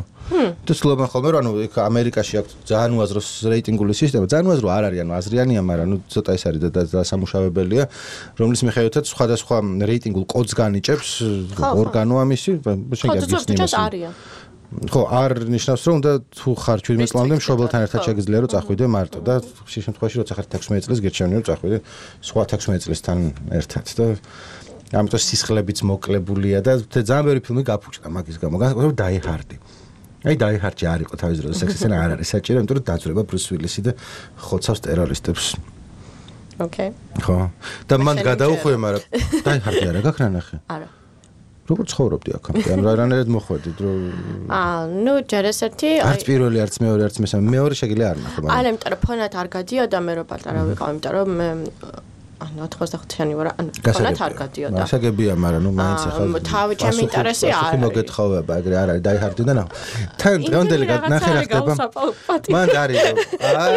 და სლოგან ხოლმე რომ ანუ იქ ამერიკაში აქვს ძალიან უაზრო რეიტინგული სისტემა ძალიან უაზრო არ არის ანუ აზრიანია მაგრამ ნუ ცოტა ეს არის და სამუშავებელია რომლის მიხედვითაც სხვადასხვა რეიტინგულ კოდს განიჭებს ორგანო ამისი შეგიძლიათ არიან ხო არ ნიშნავს რომ უნდა თუ ხარ ჩვიდმეტ წლამდე მშობელთან ერთად შეგიძლია რომ წახვიდე მარტო და ხშირ შემთხვევაში როცა ხარ ექვსმეტ წელს გერჩევანი რომ წახვიდე სხვა ექვსმეტ წლისთან ერთად და ამიტომ სისხლებიც მოკლებულია და ძალიან ბევრი ფილმი გაფუჭდა მაგის გამო განსაკუთრებით დაი ჰარდი აი დაი ჰარდი არ იყო თავის დროზე სექსის სცენა არ არის საჭირო იმიტომ რომ დაძვრება ბრუს უილისი და ხოცავს ტერორისტებს ოკეი ხო და მან გადაუხვია მაგრამ დაი ჰარდი არა გაქვს ნახე არა როგორ ცხოვრობდი აქამდე? ანუ რანაირად მოხვედით რომ აა, ნუ ჯერ ეს ერთი არც პირველი, არც მეორე, არც მესამე, მეორე შეგიძლია არ ნახო, მაგრამ არა, იმიტომ რომ ფონად არ გადიოდა მე რო პატარა ვიყავ, იმიტომ რომ მე ანუ ოთხმოცდახუთიანი ვარ, ანუ ფონად არ გადიოდა. გასაგებია, მაგრამ ნუ მაინც ახლა თავი ჩემი ინტერესი არ არის. მოგეთხოვება, ეგრე არ არის, დაი ჰარდი და ნახო. თან დღევანდელი ნახე რა ხდება. მან არის რომ არა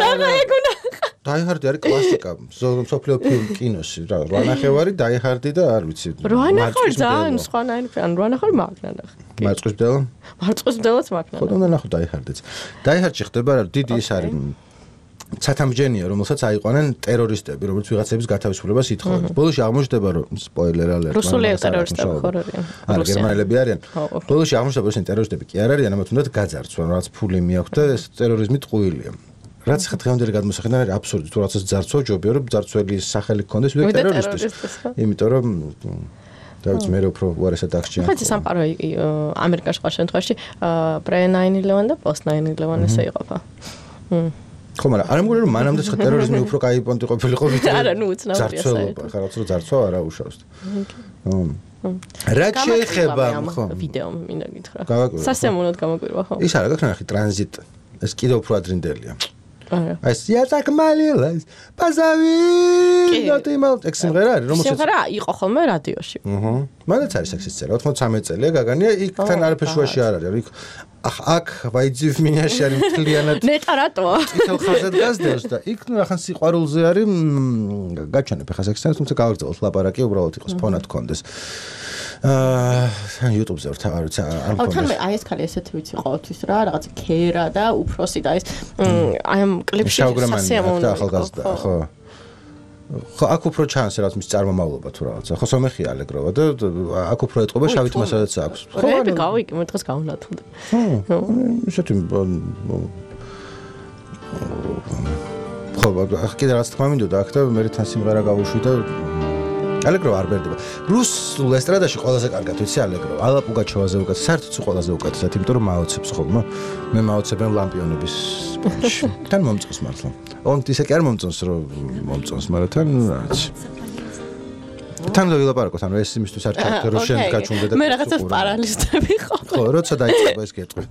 დაი ჰარდი არის კლასიკა, მსოფლიო ფილმ კინოში, რა, რა ნახევარი დაი ჰარდი და არ ვიცი. რა ნახევარი ძალიან სხვანაირი ფილმი, რა ნახევარი მაგნა ნახე. მარწყვის ბდელა? მარწყვის ბდელაც მაგნა. ხო და ნახო დაი ჰარდიც. დაი ჰარდში ხდება რა, დიდი ის არის ცათამბჯენია, რომელსაც აიყვანენ ტერორისტები, რომელიც ვიღაცების გათავისუფლებას ითხოვენ. ბოლოში აღმოჩნდება რომ სპოილერ ალერტ. რუსული ტერორისტები ხო არიან? არა, გერმანელები არიან. ბოლოში აღმოჩნდება რომ ტერორისტები კი არ არიან, ამათ უნდათ გაძარცვან, რაც ფული მიაქვთ და ეს ტერორიზმი ტყუილია. რაც ხა დღევანდელი გადმოსახედიდან არის აბსურდი, თუ რაღაცას ძარცვა ჯობია რომ ძარცველის სახელი გქონდეს ვიდრე ტერორისტის. იმიტომ რომ დავიც მე უფრო უარესად აღჭიან. ხო, სამყარო ამერიკაში ყარ შემთხვევაში pre nine eleven და post nine eleven ესე იყოფა. ხო, მაგრამ არ მგონია რომ მანამდე ხა ტერორიზმი უფრო კაი პონტი ყოფილიყო ვიდრე არა, ნუ უცნაურია საერთოდ. ხა რაც რო ძარცვა არა უშავს. რა შეიძლება ხო ვიდეო მინდა გითხრა. სასიამოვნოდ გამოგვირვა ხო? ის არა გაქვს ნახე ტრანზიტ. ეს კიდევ უფრო ადრინდელია. აი სიასაკმალილას პაზავი ნოტიმალ ექსიმღერა არის რომელსაც სიმღერა იყო ხოლმე რადიოში. აჰა. მანდაც არის სექსის წერა ოთხმოცდამეტ წელია გაგანია იქთან არაფერ შუაში არ არის. იქ აქ ვაიძივ მინაში არის მთლიანად ნეტა რატოა? წითელ ხაზად გასდევს და იქ ნახან სიყვარულზე არის გაჩვენებ ხა სექსს თუმცა გავაგრძელოთ ლაპარაკი უბრალოდ იყოს ფონად კონდეს. აა YouTube-ზე ვარ თავი არ მქონდა. თან მე აი ეს ხალი ესეთი ვიცი ყოველთვის რა რაღაც ქერა და უფროსი და ეს აი ამ კლიპში სასიამოვნოა ახალგაზრდა ხო ხო აქ უფრო ჩანს რაც მის წარმომავლობა თუ რაღაცა ხო სომეხი ალეგროვა და აქ უფრო ეტყობა შავით მასალაც აქვს ხო რა გავიკი მე დღეს გავნათმდი ხო ისეთი ხო აქ კიდე რაც თქმა მინდოდა აქ და მე თან სიმღერა გავუშვი და ალეგრო არ ბერდება. რუსულ ესტრადაში ყველაზე კარგად ვიცი ალეგრო. ალა პუგაჩოვაზე უკეთ, საერთოდ ყველაზე უკეთესად, იმიტომ რომ მაოცებს ხოლმე. მე მაოცებენ ლამპიონების სპონჩი. თან მომწონს მართლა. ონტ ისე კი არ მომწონს რომ მომწონს, მაგრამ თან რაც თან ვილაპარაკოთ, ანუ ეს იმისთვის არ ჩავთვალე, რომ შენ გაჩუნდე და მე რაღაცას პარალისტები ხო. ხო, როცა დაიწყება ეს კითხვა.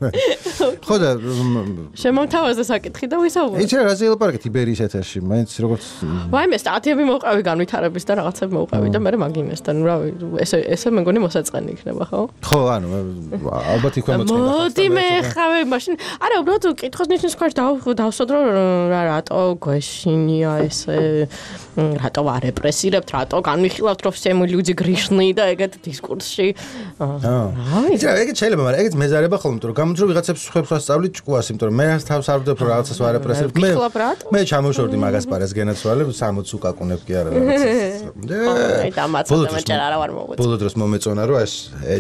ხო და შემომთავაზე საკითხი და ვისაუბრე. იცი რა რაზე ვილაპარაკეთ იბერიის ეთერში, მაინც როგორც ვაიმე სტატიები მოვყავი განვითარების და რაღაცები მოვყავი და მე მაგინესთან, რა ესე ესე მე მგონი მოსაწყენი იქნება, ხო? ხო, ანუ ალბათ იქვე მოწყდა. მოდი მე ხავე მაშინ. არა, უბრალოდ კითხოს ნიშნის ქვეშ დავსვადრო რა რატო გვეშინია ესე რატო არ რეპრესირებთ, რატო განვიხილავთ რომ სემილუძი გრიშნი და ეგეთ დისკურსში. აა. იცი რა, ეგეთ შეიძლება, მაგრამ ეგეთ მეზარება ხოლმე, რომ გამოძრო ვიღაცებს ხებს ვასწავლი ჭკუას, იმიტომ რომ მე თავს არ ვდებ რომ რაღაცას ვარ რეპრესირებ. მე მე ჩამოვშორდი მაგას პარეს გენაცვალე, სამოცი უკაკუნებ კი არა რაღაცას. აი დამაცადე მეჭერ არა ვარ მოვეწ. ბოლო დროს მომეწონა რომ ეს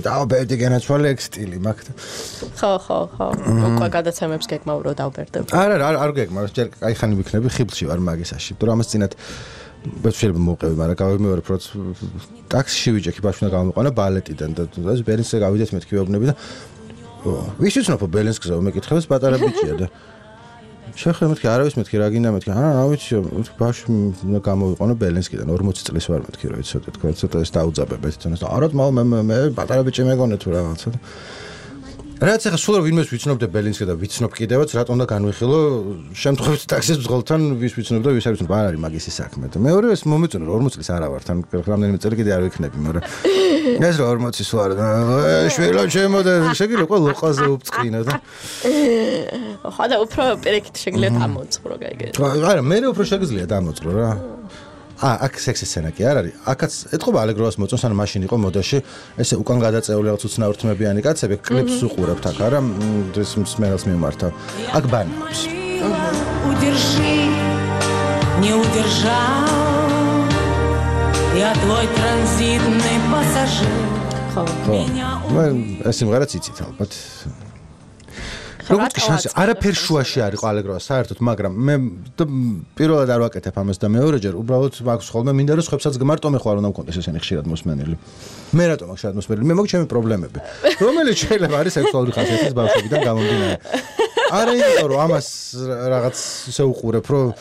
დავბერდი გენაცვალე ეგ სტილი მაქვს. ხო, ხო, ხო. უკვე გადაცემებს გეკმაო რომ დავბერდებ. არა, არ არ გეკმა, ჯერ აი ხანი ვიქნები ხიბლში ვარ მაგისაში, იმიტომ რომ ამას წინათ შეიძლება მოვყევი, მაგრამ გავიმეორებ რომ ტაქსში ვიჭექი ბავშვი და გამოვიყვანა ბალეტიდან და ეს ბერლინზე გავიდეთ მეთქი ვეუბნები და ვის იცნობ ბერლინსკზე მეკითხებს პატარა ბიჭია და შეხე მეთქი არავის მეთქი რა გინდა მეთქი არა რა ვიცი ბავშვი გამოვიყვანა ბერლინსკიდან ორმოცი წლის ვარ მეთქი რა იცოდე თქვა ცოტა ეს დაუძაბებეთ თუნდაც არა მე მე პატარა ბიჭი მეგონე თუ რაღაცა რაც ახლა სულ ვინმეს ვიცნობდე ბერლინსკი და ვიცნობ კიდევაც რატომ და განვიხილო შემთხვევით ტაქსის ბრძოლთან ვის ვიცნობ და ვის არ ვიცნობ არ არის მაგისი საქმე და მეორე ეს მომეწონა რომ ორმოცი წლის არა ვარ თან რამდენიმე წელი კიდე არ ვიქნები მაგრამ ეს რა ორმოცი სულ არა შვილო ჩემო და შეგიძლია ყველა ლოყაზე უფწყინო და ხო და უფრო პერეკით შეგიძლია დამოწყრო გაიგე არა მე უფრო შეგიძლია დამოწყრო რა ა აქ სექსი სცენა კი არ არის. აქაც ეთყობა ალეგროვას მოწონს, ან მაშინ იყო მოდაში, ესე უკან გადაწეული რაღაც უცნაურთმებიანი კაცები, კლიპს უყურებთ აქ, არა ეს მსმენელს მიმართავ. აქ ბანებს. Удержи, не удержал. Я твой транзитный пассажир. ხო. მე ეს სიმღერაც იცით ალბათ. როგორც კი შანსი არაფერ შუაში არ იყო ალეგროვა საერთოდ მაგრამ მე პირველად არ ვაკეთებ ამას და მეორეჯერ უბრალოდ მაქვს ხოლმე მინდა რომ სხვებსაც გმარტო მე ხარ უნდა მქონდეს ესენი ხშირად მოსმენელი მე რატომ აქ ხშირად მოსმენელი მე მოგვი ჩემი პრობლემები რომელიც შეიძლება არის სექსუალური ხასიათის ბავშვებიდან გამომდინარე არა იმიტომ რომ ამას რაღაც ისე უყურებ რომ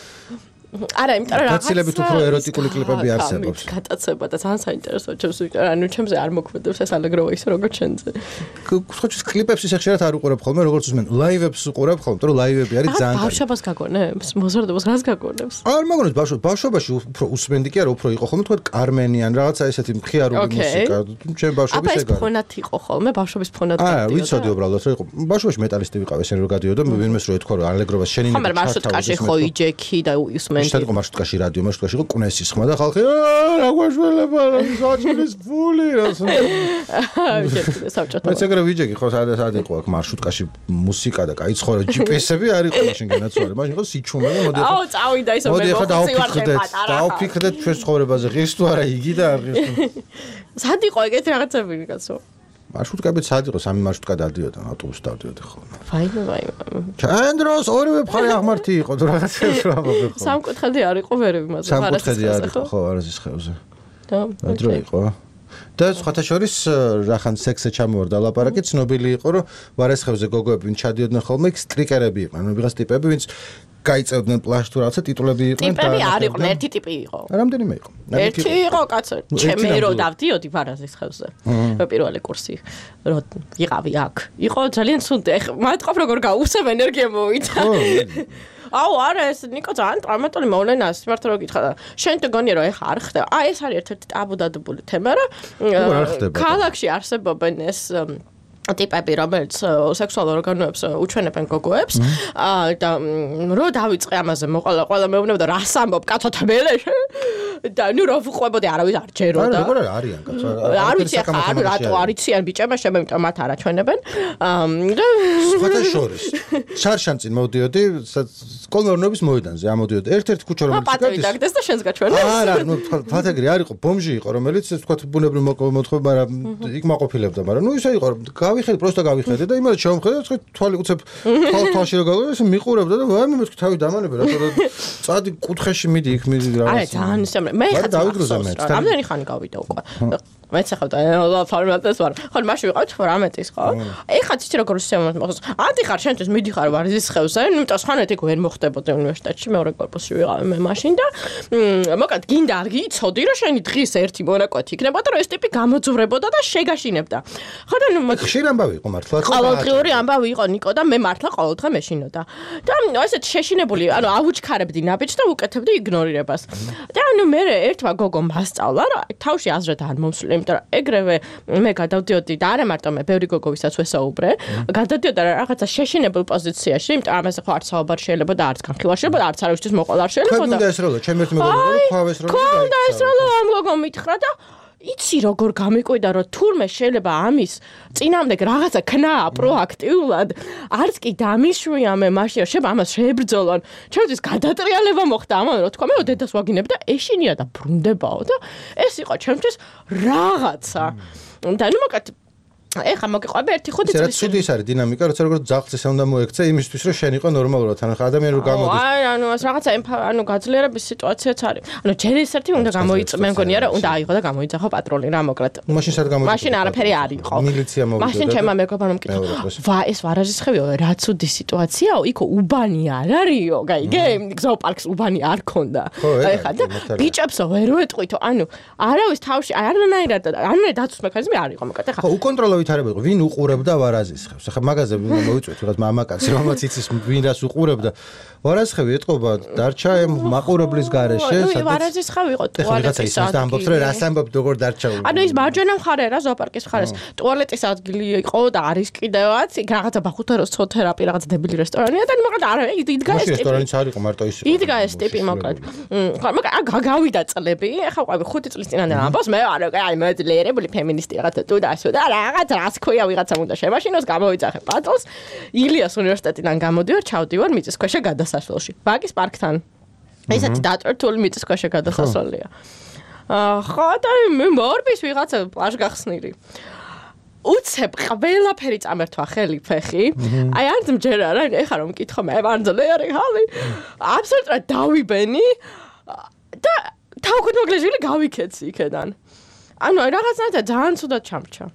არა, იმიტომ რომ გაცილებით უფრო ეროტიკული კლიპები არსებობს. გატაცება და ძალიან საინტერესოა ჩემს ვიყარ, ანუ ჩემზე არ მოქმედებს ეს ალეგროვა ისე როგორც შენზე. ხოჩის კლიპებს ისე ხშირად არ უყურებ ხოლმე, როგორც უსმენ. ლაივებს უყურებ ხოლმე, რომ ლაივები არის ძალიან კარგი. ბავშვობას გაგონებს? მოზარდობას რას გაგონებს? არ მაგონებს ბავშვ ბავშვობაში უფრო უსმენდი კი არა, უფრო იყო ხოლმე თქვა კარმენიან რაღაცა ესეთი მხიარული მუსიკა. ჩემ ბავშვობის ეგ. აბა ფონად იყო ხოლმე, ბავშვობის ფონად გადიოდა. აა, ვიცოდი უბრალოდ რომ იყო. ბავშვობაში მეტალისტი ვიყავ ესენი რომ გადიოდა, ვინმეს რო ეთქვა რომ ალეგროვას შენი ხო, მაგრამ მარშრუტკაში ხო იჯექი და უსმენდი. შენ იყო მარშრუტკაში რადიო მარშრუტკაში იყო კუნესის ხმა და ხალხი რა გვაშველება რა საჭირის ფული რას აა საბჭოთა მე ეგრე ვიჯექი ხო სადაც სად იყო აქ მარშრუტკაში მუსიკა და კაი ცხოვრა ჯი პი ესი-ები არ იყო მაშინ განაცვალე მაშინ იყო სიჩუმე და მოდი აუ წავიდა ისო მე დავფიქრდეთ დავფიქრდეთ ჩვენს ცხოვრებაზე ღირს თუ არა იგი და არ ღირს სად იყო ეგეთი რაღაცები კაცო მარშრუტკები სად იყო სამი მარშრუტკა დადიოდა ავტობუსი დავდიოდი ხოლმე ვაიმე ვაიმე ჩაენ დროს ორივე მხარე აღმართი იყო თუ რაღაცას რა ვაბე ხო სამკუთხედი არ იყო ვერები მაგრამ სამკუთხედი არ იყო ხო არაზის ხევზე და დრო იყო და სხვათა შორის რახან სექსზე ჩამოვარდა ლაპარაკი ცნობილი იყო რომ ვარესხევზე გოგოები ვინც ჩადიოდნენ ხოლმე იქ სტრიკერები იყვნენ ანუ ვიღაც ტიპები ვინც გაიწევდნენ პლაშ თუ რაღაცა ტიტულები იყვნენ და ტიპები არ იყვნენ ერთი ტიპი იყო რამდენიმე იყო ერთი იყო კაცო ჩემი რო დავდიოდი ვარაზის ხევზე მე პირველი კურსი რო ვიყავი აქ იყო ძალიან ცუდი ეხ მათყობ როგორ გაუსებ ენერგია მოვიდა აუ არა ეს ნიკო ძალიან ტრამატული მოვლენა სიმართლე რო გითხრა და შენ თქონია რომ ეხა არ ხდება აი ეს არის ერთ-ერთი ტაბუდადებული თემა რა ქალაქში არსებობენ ეს ტიპები რომელიც სექსუალურ ორგანოებს უჩვენებენ გოგოებს და რო დავიწყე ამაზე მოყოლა ყველა მეუბნება და რას ამბობ კაცო თბელეში და ნუ რო ვყვებოდი არავის არ ჯეროდა არა როგორ არიან კაცო არ ვიცი ახლა არ რატო არიციან ბიჭებმა შემემტა მათ არ აჩვენებენ სხვათა შორის შარშან წინ მოვდიოდი კოლმეურნეობის მოედანზე ამოდიოდი ერთ-ერთი ქუჩა რომელიც გადის დაგდეს და შენს გაჩვენებს არა ნუ ფათეგრი არ იყო ბომჟი იყო რომელიც ეს თქვა ბუნებრივ მოთხოვ მაგრამ იქ მაყოფილებდა მაგრამ ნუ ისე იყო გავიხედე პროსტა გავიხედე და იმას შევამხედე თქვა თვალი უცებ თვალში რა გავიგე მიყურებდა და ვაიმე მე თავი დამანებე რა თორე წადი კუთხეში მიდი იქ მიდი რა არა ძალიან მე ხა რამდენი ხანი გავიდა უკვე მეც ახლა ფორმატეს ვარ ხო მაშინ ვიყავთ ფორმატის ხო ეხლა ციცი როგორ შემოხდა მოხდა ანტი ხარ შენთვის მიდიხარ ვარზის ხევზე იმიტომ სხვანაირად იქ ვერ მოხდებოდა უნივერსიტეტში მეორე კორპუსში ვიყავ მე მაშინ და მოკლედ გინდა არ გიცოდი რომ შენი დღის ერთი მონაკვეთი იქნებოდა რომ ეს ტიპი გამოძვრებოდა და შეგაშინებდა ხო და ნუ ხშირ ამბავი იყო მართლა ყოველდღიური ამბავი იყო ნიკო და მე მართლა ყოველდღე მეშინოდა და ესეთ შეშინებული ანუ ავუჩქარებდი ნაბიჯს და უკეთებდი იგნორირებას და ნუ მე ერთმა გოგომ მასწავლა რა თავში აზრად არ მომსვლი იმიტომ რომ ეგრევე მე გადავდიოდი და არა მარტო მე ბევრი გოგო ვისაც ვესაუბრე გადავდიოდა რაღაცა შეშინებულ პოზიციაში იმიტომ რომ ამაზე ხო არც საუბარი შეიძლება და არც განხილვა შეიძლება და არც არავისთვის მოყოლა არ შეიძლება და და ეს როლა ჩემ ერთ მეგობრს ხავეს როლა და ეს როლა ამ გოგომ მითხრა და იცი როგორ გამიკვირდა რომ თურმე შეიძლება ამის წინამდე რაღაცა ქნაა პროაქტიულად არც კი დამიშვია მე მაშინ შეიძლება ამას შეებრძოლონ ჩემთვის გადატრიალება მოხდა ამან რომ თქვა მე დედას ვაგინებ და ეშინია და ბრუნდებაო და ეს იყო ჩემთვის რაღაცა და ნუ მოკლედ ეხა მოგიყვება ერთი ხუთი წელი. ეს რა ის არის დინამიკა, როცა როგორ ძაღლს ესე უნდა მოექცე იმისთვის, რომ შენ იყო ნორმალურად, ანუ ადამიანი რო გამოდის. აი, ანუ ეს რაღაცა ანუ გაძლიერების სიტუაციაც არის. ანუ ჯერ ეს ერთი უნდა გამოიწ, მე მგონია რომ უნდა აიღო და გამოიძახო პატრული რა მოკლედ. მაშინ სად გამოიწ? მაშინ არაფერი არ იყო. მილიცია მოვიდა. მაშინ ჩემმა მეგობარმა მკითხა. ვა, ეს ვარაჟისხევიო, რა ცუდი სიტუაციაო, იქ უბანი არ არისო, გაიგე? გზაოპარკს უბანი არ ქონდა. ეხლა და ბიჭებსო ვერ ვეტყვითო, ანუ არავის თავში არანაირად არანაირად დაცვის მექანიზმი არ იყო მოკლედ. ეხლა ხო, უკონტროლო ვითარებიღო, ვინ უყურებდა ვარაზისხევს. ახლა მაგაზე მოიწვევთ რაღაც მამაკაცი, რომელიც იცის ვინ რას უყურებდა. ვარაზისხევი ეტყობა დარჩა მაყურებლის გარეშე, სადაც ვარაზისხევი იყო ტუალეტის ადგილი. ამბობს რომ რას ამბობ როგორ დარჩა. ანუ ის მარჯვენა მხარე რა ზოოპარკის მხარეს ტუალეტის ადგილი იყო და არის კიდევაც, იქ რაღაცა ბახუთეროს ცოთერაპი, რაღაც დებილი რესტორანია და მოკლედ არა, იდგა ეს ტიპი. რესტორანიც არ იყო მარტო ის. იდგა ეს ტიპი მოკლედ. ხო, მოკლედ გავიდა წლები, ახლა ყვავი ხუთი წლის წინამდე ამბობს, მე არა, აი მე ძლიერებული ფემინისტი რაღაცა თუ და ასე და რაღაც რას ქვია ვიღაცამ უნდა შემაშინოს, გამოიწახე პატლს. ილიას უნივერსიტეტიდან გამოდივარ, ჩავდივარ მიწისქვეშა გადასასვლელში. ბაგის პარკთან. ესეთი დატვირთული მიწისქვეშა გადასასვლელია. აა ხო და მე მორბის ვიღაცა პლაჟგახსნილი. უცებ ყველაფერი წამერთვა ხელი ფეხი. აი არ მჯერა რა, ეხა რომ მკითხო მე ვანძლერი ხალი. აბსოლუტურად დავიბენი და თავგუდმოგლეჟილი გავიქეცი იქედან. ანუ რაღაცნაირად ძალიან ცუდად ჩამრჩა.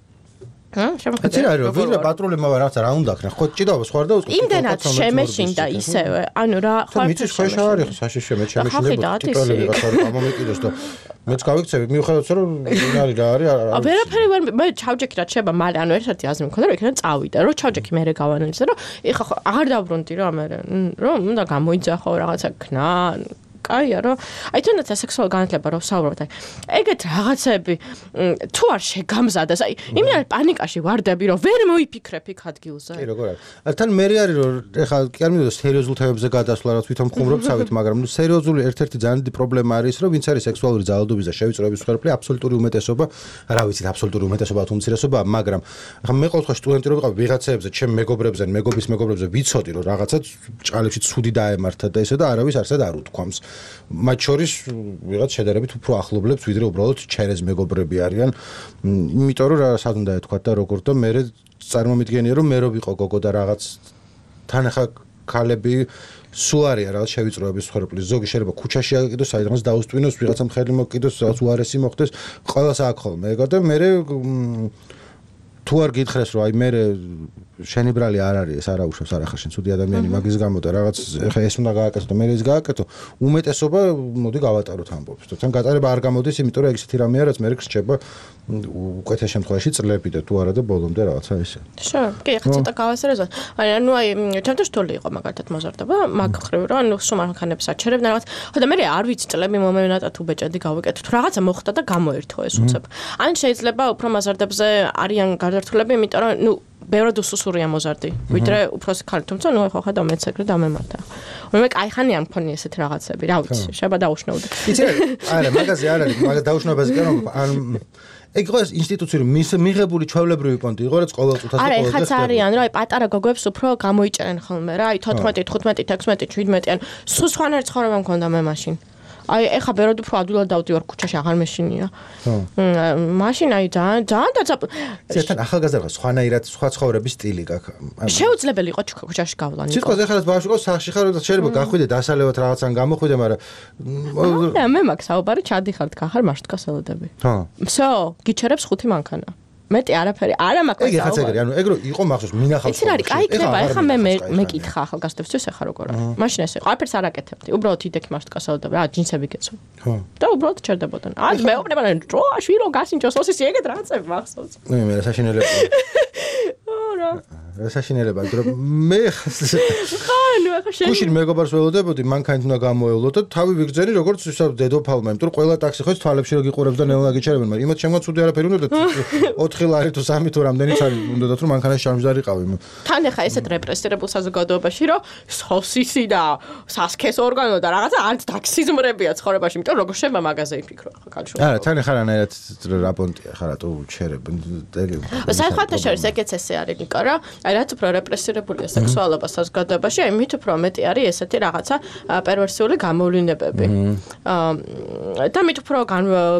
ჰა, შემოხედე. ეს რა, ვიღა პატრულებმა რაღაცა რა უნდა ქნა, ხო ჭიდაობას ხوار და უწყო. იმდენად შემეშინდა ისევე. ანუ რა, ხო მიწის ქვეშ არ არის საშიშე მე შემეშინდება ტიპები ვიღაცა გამომეკიდოს და მეც გავიქცევი მიუხედავად რომ ვინ არის რა არის არა. ვერაფერი ვერ მე ჩავჯექი რა შეიძლება მალე ანუ ერთ-ერთი აზრი მქონდა რომ იქიდან წავიდა რომ ჩავჯექი მე გავანალიზე რომ ეხა ხო აღარ დავრუნდი რა მე რომ უნდა გამოიძახო რაღაცა ქნა კაია რომ აი თუნდაც სექსუალური განათლება რო ვსაუბრობთ აი ეგეთ რაღაცები თუ არ შეგამზადდეს აი იმიან პანიკაში ვარდები რომ ვერ მოიფიქრებ იქ ადგილზე კი როგორ არის თან მე არის რომ ეხლა კი არ მინდოდა სერიოზულ თემებზე გადასვლა რა თვითონ მხუმრობცავით მაგრამ ნუ სერიოზული ერთ-ერთი ძალიან დიდი პრობლემა არის რომ ვინც არის სექსუალური ძალადობის და შევიწროების მსხვერპლი აბსოლუტური უმეტესობა რა ვიცით აბსოლუტური უმეტესობა თუ უმცირესობა მაგრამ ახლა მე ყოველთვის სტუდენტი რო ვიყავ ვიღაცებზე ჩემ მეგობრებზე მეგობის მეგობრებზე ვიცოდი რომ რაღაცა ჭალებში ცუდი დაემართა და ესე და არავის არსად არ უთქვამს მათ შორის ვიღაც შედარებით უფრო ახლობლებს ვიდრე უბრალოდ ჩერეს მეგობრები არიან იმიტომ რომ რასად უნდა ეთქვათ და როგორ და მე წარმომიდგენია რომ მე რო ვიყო გოგო და რაღაც თან ახლა ქალები სულ არიან რაღაც შევიწროების მსხვერპლი ზოგი შეიძლება ქუჩაში აკიდოს საიდანაც დაუსტვინოს ვიღაცამ ხელი მოკიდოს რაღაც უარესი მოხდეს ყველას აქ ხოლმე ეგა და მე თუ არ გითხრეს რომ აი მე შენი ბრალი არ არის ეს არა უშვებს არ ახარ შენ ცუდი ადამიანი მაგის გამო და რაღაც ეხა ეს უნდა გააკეთო და მე ეს გააკეთო უმეტესობა მოდი გავატაროთ ამბობს თან გატარება არ გამოდის იმიტომ რომ ეგ ისეთი რამეა რაც მე რჩება უკეთეს შემთხვევაში წლები და თუ არა და ბოლომდე რაღაცა ისე შო კი ხა ცოტა გავასერეზოთ ანუ აი ჩემთვის რთული იყო მაგათად მოზარდება მაგ ხრივ რომ ანუ სულ მანქანებს აჩერებდა რაღაც ხო და მე არ ვიცი წლები მომევნატა თუ ბეჭედი გავიკეთო თუ რაღაცა მოხდა და გამოერთო ეს უცებ ან შეიძლება უფრო მაზარდებზე არიან გარდართულები იმიტომ რომ ნუ ბევრად უსუსურია მოზარდი ვიდრე უფროსი ხალი თუმცა ნუ ხო ხა და მეც ეგრე დამემართა მე კაიხანი არ მქონია ესეთ რაღაცები რა ვიცი შეიძლება დაუშნაოდე იცი არა მაგაზე არ არის მაგას დაუშნაობაზე კი რომ ან ეგ იყო ეს ინსტიტუციური მიღებული ჩვეულებრივი პონტი იყო რაც ყოველწუთას და ყოველდღე არა ეხაც არიან რა აი პატარა გოგოებს უფრო გამოიჭერენ ხოლმე რა აი თოთხმეტი, თხუთმეტი, ექვსმეტი, შვიდმეტი ან სულ სხვანაირ ცხოვრება მქონდა მე მაშინ აი ეხა ბეროდ უფრო ადვილად დავდივარ ქუჩაში აღარ მეშინია. მაშინ აი ძალიან ძალიან დაძაბ. ზეთან ახალგაზრდა სხვანაირად სხვა ცხოვრების სტილი გაქვს. შეუძლებელი იყო ქუჩაში გავლანი. სიტყვაზე ეხლა ბავშვი ყავს სახში ხარ და შეიძლება გახვიდე დასალევად რაღაცან გამოხვიდე, მაგრამ რა მე მაქვს საუბარი ჩადიხართ გახარ მარშტკასელოდები. ხო. всё, გიჩერებს ხუთი მანქანა. მეტი არაფერი არა მაქვს. ეგ ხაც ეგრე, ანუ ეგრო იყო მახსოვს მინახავს. იცი რა არის, კაი იქნება, ეხლა მე მეკითხა ახალგაზრდებისთვის ეხა როგორ არის. მაშინ ესე იყო, არაფერს არ აკეთებდი. უბრალოდ იდექი მარშტკასელოდები, რა ჯინსები გეცო. ხო. და უბრალოდ ჩერდებოდნენ. აი მეუბნება რო შვილო გასინჯოს ოსის ეგეთ რაღაცები მახსოვს. მე მე საშინელება. რა საშინელება, რომ მე ხა ნუ ახლა შენ გუშინ მეგობარს ველოდებოდი, მანქანით უნდა გამოევლო და თავი ვიგრძენი როგორც ისა დედოფალმა, იმიტომ რომ ყველა ტაქსი ხო თვალებში რო გიყურებს და ნელა გიჩერებენ, მაგრამ იმათ შემდგომ ცუდი არაფერი უნდა და ოთხი ლარი თუ სამი თუ რამდენიც არის, უნდათ რომ მანქანაში შარმჟდარიყავი. თან ახლა ესეთ რეპრესირებულ საზოგადოებაში რომ სოსისი და სასქეს ორგანო და რაღაცა არც ტაქსიზმრებია ცხოვრებაში, იმიტომ როგორ შემა მაღაზია იფიქრო ახლა კალშო. არა, თან ახლა რანაირად რაპონტია ხა რატო ჩერებენ. საერთოდ შორის ეგეც ესე არის ნიკო რა. აი რაც უფრო რეპრესირებულია სექსუალობა საზოგადოებაში, აი მით უფრო მეტი არის ესეთი რაღაცა პერვერსიული გამოვლინებები. აა და მით უფრო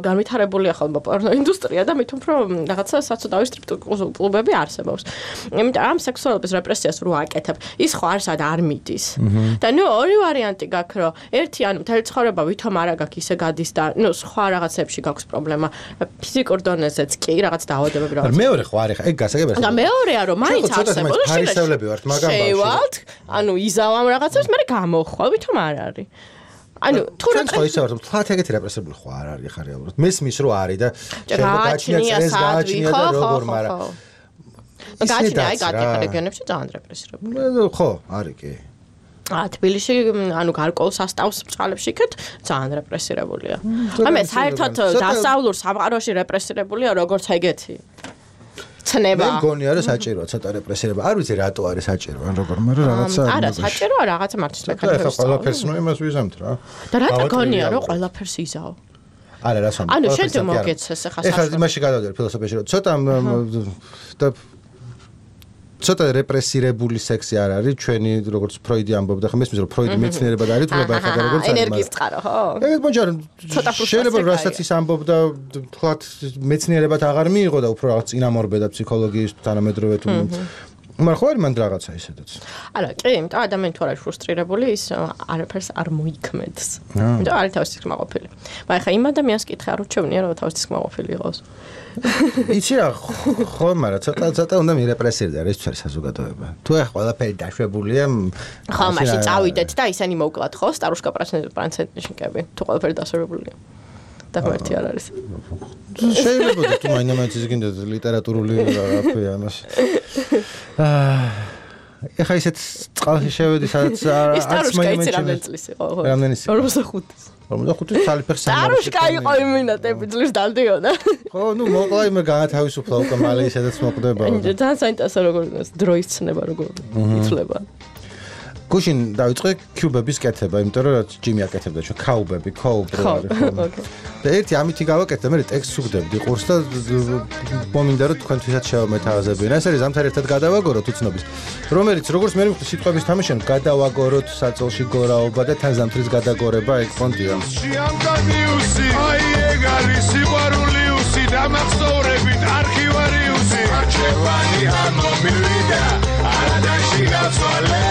განვითარებულია ხოლმე პორნო ინდუსტრია და მით უფრო რაღაცა საცოდავი სტრიპ-კლუბები არსებობს. იმიტომ ამ სექსუალობის რეპრესიას რო აკეთებ, ის ხო არც არ მიდის. და ნუ ორი ვარიანტი გაქვს, რომ ერთი ანუ მთელი ცხოვრება ვითომ არა გაქვს ისე გადის და ნუ სხვა რაღაცებში გაქვს პრობლემა. ფიზიკურ დონეზეც კი რაღაც დაავადებები რაღაც. მეორე ხო არის, ეგ გასაგებია. და მეორეა რომ მაინც არსებობს ფარისევლები ვართ, მაგრამ შევალთ, ანუ იზავ ამ რაღაცებს, მე გამოხვალ, ვითომ არ არის. ანუ თუ რა ხო ისე ვარ, თვათ ეგეთი რეპრესირებული ხო არ არის ხა რეალურად. მესმის რო არის და შეიძლება გააჩნია წრეს გააჩნია და როგორ, მაგრამ გააჩნია აი გადიხარ რეგიონებში ძალიან რეპრესირებული. ხო, არის კი. ა თბილისში ანუ გარკვეულ სასტავს წყალებში იქეთ ძალიან რეპრესირებულია. ამე საერთოდ დასავლურ სამყაროში რეპრესირებულია როგორც ეგეთი. ცნება. მე მგონია რომ საჭიროა ცოტა რეპრესირება. არ ვიცი რატო არის საჭირო, ან როგორ, მაგრამ რაღაცა არა, საჭიროა რაღაცა მართვის მექანიზმი. ეხლა ყველაფერს ნუ იმას ვიზამთ რა. და რატო გონია რომ ყველაფერს იზავ? არა, რას ვამბობ. ანუ შენ მოგეცეს ეხლა ეხლა იმაში გადავდივარ ფილოსოფიაში, რომ ცოტა და ცოტა რეპრესირებული სექსი არ არის ჩვენი როგორც ფროიდი ამბობდა, ხა მესმის რომ ფროიდი მეცნიერებად არის თუ აბა ეხლა როგორც არის ენერგიის წყარო, ხო? ეგეთ მოჯარ შეიძლება რასაც ის ამბობდა თქვათ მეცნიერებად აღარ მიიღო და უფრო რაღაც წინამორბედა ფსიქოლოგიის თანამედროვე თუ მაგრამ ხო არის მანდ რაღაცა ისედაც. არა, კი, იმიტომ ადამიანი თუ არის ფრუსტრირებული, ის არაფერს არ მოიქმედს. იმიტომ არის თავის თქმაყოფილი. მაგრამ ხა იმ ადამიანს კითხე არ უჩვენია რომ თავის თქმაყოფილი იყოს. იცი რა, ხო, მაგრამ ცოტა ცოტა უნდა მირეპრესირდა რა ის ჩვენი საზოგადოება. თუ ახ ყველაფერი დაშვებულია, ხო, მაშინ წავიდეთ და ისინი მოვკლათ ხო, სტარუშკა პრაცენტნიშნიკები, თუ ყველაფერი დასრულებულია. და მარტი არ არის. შეიძლება თუ მაინც ის გინდა ლიტერატურული რაფია ამას. აა ეხა ისეთ წყალში შევედი, სადაც არც მაინც რამდენი წლის იყო, ხო? რამდენი წელი? ორმოცდახუთი. ორმოცდახუთი თალიფერ სამი. სტარუშკა იყო იმ მინატები წლის დავდიოდა. ხო, ნუ მოკლა იმე განათავისუფლა უკვე მალე ისედაც მოხდება. ძალიან საინტერესო როგორ დროის ცნება როგორ იცლება. გუშინ დავიწყე კიუბების კეთება, იმიტომ რომ ჯიმი აკეთებდა ჩვენ კაუბები, კოუბრი არის ხო. და ერთი ამითი გავაკეთე, მე ტექსტს უგდებდი ყურს და მომინდა რომ თქვენთვისაც შევამეთავაზებინა. ეს არის ზამთარ ერთად გადავაგოროთ უცნობის, რომელიც როგორც მე მივხვდი სიტყვების თამაშენ გადავაგოროთ საწოლში გორაობა და თან ზამთრის გადაგორება ეგ ფონდია. შიამკანიუსი, აი ეგ არის სიყვარულიუსი, დამახსოვრებით არქივარიუსი, არჩევანი ამომივიდა, არადაში გაცვალე.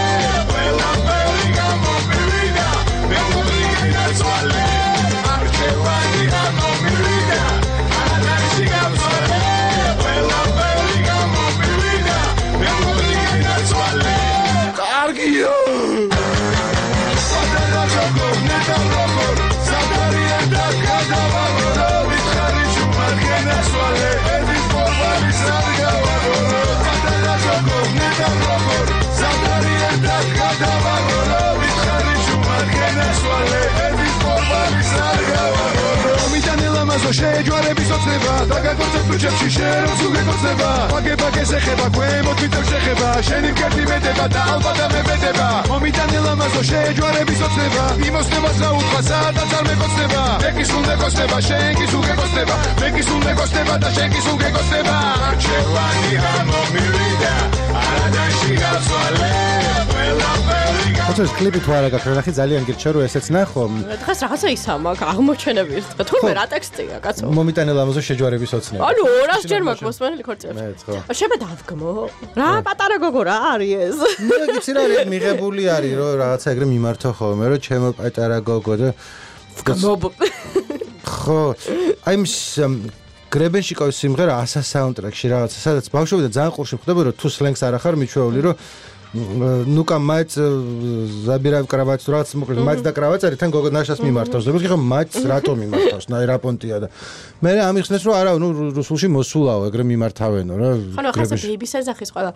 შეჯვარების ოცნება და გაგოცებ თუჩებში შერობს უგეკოცნება ვაგებაგეს ეხება ქვემოთ მიწევს შეხება შენი მკერდი მეტება და ალბათ ამებედება მომიტანელ ამაზო შეჯვარების ოცნება იმოსნებას გაუთხა სადაც არ მეკოცნება მეკის უნდა გოცნება შენ კი უგეკოცნება მეკის უნდა გოცნება და შენ კი უგეკოცნება არჩევანი ამომივიდა არადაში გაცვალე ხოჭოს კლიპი თუ არა გაქვს ნახე ძალიან გირჩა რომ ესეც ნახო დღეს რაღაცა ისა მაქვს აღმოჩენები ის დღე თურმე რა ტექსტია კაცო მომიტანე ლამაზო შეჯვარების ოცნება ანუ ორას ჯერ მაქვს მოსმენელი ქორწილებში შება დავგმო რა პატარა გოგო რა არის ეს მე გიცი რა მიღებული არის რომ რაღაცა ეგრე მიმართო ხოლმე რომ ჩემო პატარა გოგო და ხო აი მის გრებენშიკოვის სიმღერა ასა საუნდტრეკში რაღაცა სადაც ბავშვები და ძალიან ყურში ხდება რომ თუ სლენგს არ ახარ მიჩვეული რომ ნუკა მაიც ზაბირავ კრავატს რაც მოკლედ მაიც და კრავატს არის თან გოგო ნაშას მიმართავს ზოგადად ხო მაიც რატომ მიმართავს ნაი რა პონტია და მე ამიხსნეს რომ არა ნუ რუსულში მოსულაო ეგრე მიმართავენო რა ხო ხასა ბეიბის ეძახის ყველა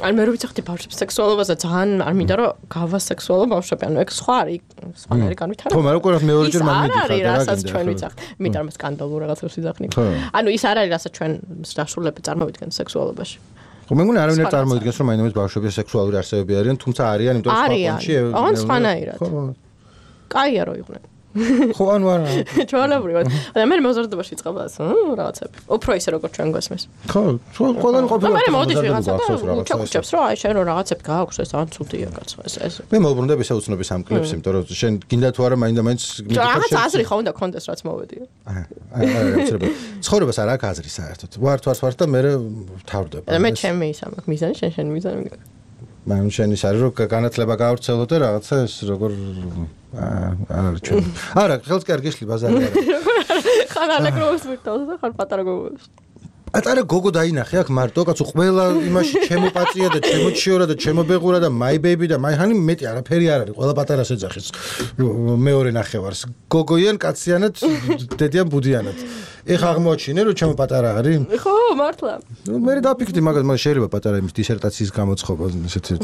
ან მე რო ვიცახდი ბავშვებს სექსუალობაზე ძალიან არ მინდა რომ გავა სექსუალო ბავშვები ანუ ეგ სხვა არის სხვანაირი განვითარება ხო მე რო ყურებ მეორეჯერ მან მიდიხარ რა რასაც ჩვენ ვიცახთ იმიტომ რომ სკანდალურ რაღაცებს ვიძახნი ანუ ის არ არის რასაც ჩვენ დასრულები წარმოვიდგენთ სექსუალობაში ხო მე მგონი არავინ არ წარმოიდგენს რომ მაინც ბავშვები სექსუალური არსებები არიან თუმცა არიან იმიტომ რომ სხვა კონჩი ან სხვანაირად კაია რო იყვნენ ხო ანუ არა ჩვეულებრივად და მე მოზარდობაში წყაბას რაღაცები უფრო ისე როგორც ჩვენ გვესმის ხო ყველანი ყოფილა მე მოდი რაღაცა ჩაკუჭებს რომ აი შენ რო რაღაცები გააქვს ეს ან ცუდია კაცო ეს ეს მე მოვბრუნდები ესე უცნობის ამ კლიპს იმიტომ რომ შენ გინდა თუ არა მაინდა მაინც რაღაცა აზრი ხო უნდა კონდეს რაც მოვედი აი აი ცხოვრებას არ აქვს აზრი საერთოდ ვარ თუ არ ვარ და მე თავდება მე ჩემი ისა მაქვს მიზანი შენ შენ მიზანი მან შენ ის არის რომ განათლება გავრცელო და რაღაცა ეს როგორ არა ჩვენ არა ხელს კი არ გიშლი ბაზარი არა ხან ალეგროს მირთავს და ხან პატარა გოგოს პატარა გოგო დაინახე აქ მარტო კაცო ყველა იმაში ჩემო პაწია და ჩემო ჩიორა და ჩემო ბეღურა და მაი ბეიბი და მაი ჰანი მეტი არაფერი არ არის ყველა პატარას ეძახის მეორე ნახევარს გოგოიან კაციანად დედიან ბუდიანად ეხა აღმოჩინე რომ ჩემო პატარა არის ხო მართლა ნუ მე დაფიქრდი მაგას მაგრამ შეიძლება პატარა იმის დისერტაციის გამოცხობა ესეთი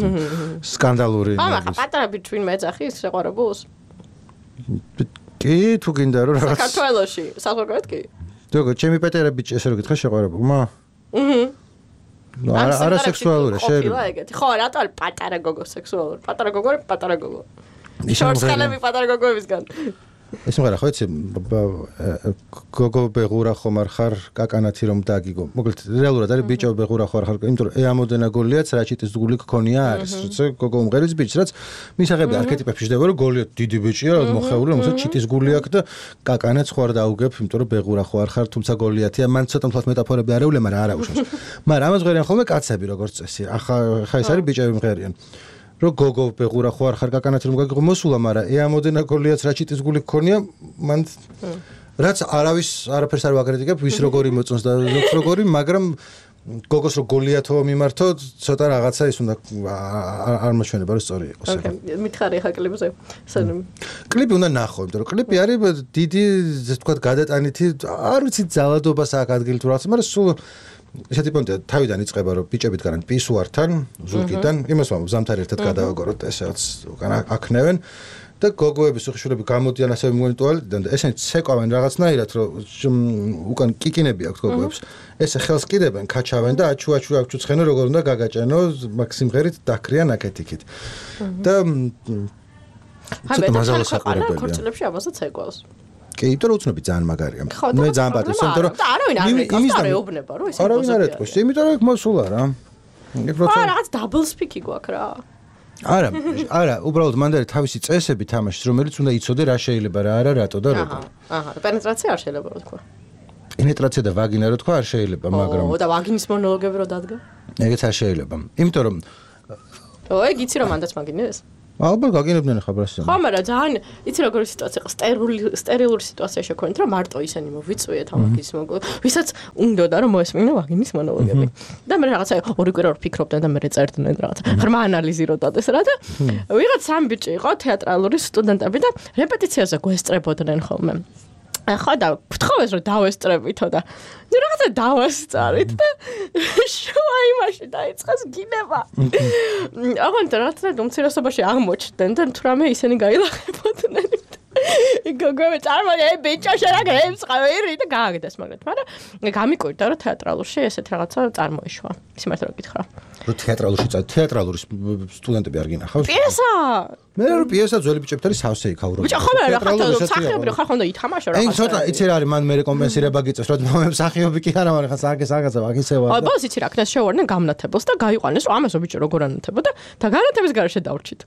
სკანდალური აა პატარა ბიჭვინ მეძახის შეყვარებულს კი თუ გინდა რომ რაღაც საქართველოში საზოგადოებრივად კი დოგო ჩემი პატარა ბიჭი ესე რომ გითხრა შეყვარებულმა აჰა არა არა სექსუალურია შეიძლება ეგეთი ხო რატო არის პატარა გოგო სექსუალური პატარა გოგო არის პატარა გოგო შორტსკალები პატარა გოგოებისგან ეს მერე ხო იცი გოგო ბეღურა ხომ არ ხარ კაკანათი რომ დაგიგო მოკლედ რეალურად არის ბიჭო ბეღურა ხარ ხარ იმიტომ რომ ეამოდენა გოლიაც რაჭიტის გული გქონია არის როცა გოგო უმღერის ბიჭს რაც მისაღები არქეტიპებში შევდება რომ გოლიო დიდი ბიჭია რა მოხეული რომელსაც ჩიტის გული აქვს და კაკანაც ხო არ დაუგებ იმიტომ რომ ბეღურა ხო არ ხარ თუმცა გოლიათია მან ცოტა მთლად მეტაფორები არეულე მაგრამ არა უშავს მაგრამ ამას ღერიან ხოლმე კაცები როგორც წესი ახლა ხა ეს არის ბიჭები მღერიან რო გოგო ბეღურა ხო არ ხარ კაკანათი რომ გაგიღო მოსულა მაგრამ ეამოდენა გოლიაც რაჭიტის გული გქონია მან რაც არავის არაფერს არ ვაკრიტიკებ ვის როგორი მოწონს და როგორი მაგრამ გოგოს რო გოლიათო მიმართო ცოტა რაღაცა ის უნდა არ მაჩვენება რომ სწორი იყოს ოკეი მითხარი ხა კლიპზე კლიპი უნდა ნახო იმიტომ რომ კლიპი არის დიდი ესე ვთქვათ გადატანითი არ ვიცი ძალადობას აქვს ადგილი თუ რაღაც მაგრამ სულ ესეთი პონტია თავიდან იწყება რომ ბიჭები დგანან პისუართან ზურგიდან იმას ვამბობ ზამთარი ერთად გადავაგოროთ ესეც უკან აქნევენ და გოგოების უხეშურები გამოდიან ასევე მგონი ტუალეტიდან და ესენი ცეკვავენ რაღაცნაირად რომ უკან კიკინები აქვს გოგოებს ესე ხელს კიდებენ ქაჩავენ და აჩუ აჩუ აჩუ ცხენო როგორ უნდა გაგაჭენო მაქსიმღერით დაკრიან აკეთიქით და ცოტა მაზალო საყურებელია ქორწილებში აბასაც ცეკვავს კი, იმიტომ რომ უცნობი ძალიან მაგარია. მე ძალიან პატივს, იმიტომ რომ არავინ არ ეკასტარეობნება, რომ ესე არავინ არ ეთქოს, იმიტომ რომ მოსულა რა. აა რაღაც დაბლ სპიკი გვაქვს რა. არა, არა, უბრალოდ მანდ არის თავისი წესები თამაშის, რომელიც უნდა იცოდე რა შეიძლება რა არა, რატო და როგორ. აჰა, პენეტრაცია არ შეიძლება რა თქვა. პენეტრაცია და ვაგინა რა თქვა არ შეიძლება, მაგრამ ო და ვაგინის მონოლოგები რო დადგა? ეგეც არ შეიძლება. იმიტომ რომ ო, ეგ იცი რომ მანდაც მაგინეს? ალბათ გაგინებდნენ ხა ბრასზე. ხო, მაგრამ ძალიან იცი როგორი სიტუაცია იყო, სტერილი სტერილური სიტუაცია შექმნით, რომ მარტო ისინი მოვიწვიეთ ამაგის მოგ. ვისაც უნდოდა რომ მოესმინა ვაგინის მონოლოგები. და მე რაღაცა ორი კვირა რომ ფიქრობდნენ და მე წერდნენ რაღაცა. ღრმა ანალიზირებდათ ეს რა და ვიღაც სამ ბიჭი იყო თეატრალური სტუდენტები და რეპეტიციაზე გვესწრებოდნენ ხოლმე. ხო და გთხოვეს რომ დავესწრებითო და ნუ რაღაცა დავასწარით და შუა იმაში დაიწყეს გინება. აღარ რაღაცა უმცირესობაში აღმოჩნდნენ და თუ რამე ისინი გაილახებოდნენ. გოგო წარმოგე ბიჭო შენ გემს ყავირი და გააგდეს მაგრამ მაგრამ გამიკვირდა რომ თეატრალურში ესეთ რაღაცა წარმოიშვა სიმართლე რომ გითხრა რომ თეატრალურში წა თეატრალური სტუდენტები არ გინახავს პიესა მე რომ პიესა ძველი ბიჭებთან სავსე იქაურო ბიჭო ხომ რა ხარ სახიობრივ ხარ ხონდა ითამაშო რა აი ცოტა იცი რა არის მან მე რეკომპენსირება გიწევს რომ მომემ სახიობი კი არა მაგრამ ხა საგე საგაცა ვაგისევა და ბოლოს იცი რა ქნეს შევარდნენ გამნათებელს და გაიყვანეს რომ ამასო ბიჭო როგორ ანათებოდა და განათების გარეშე დავრჩით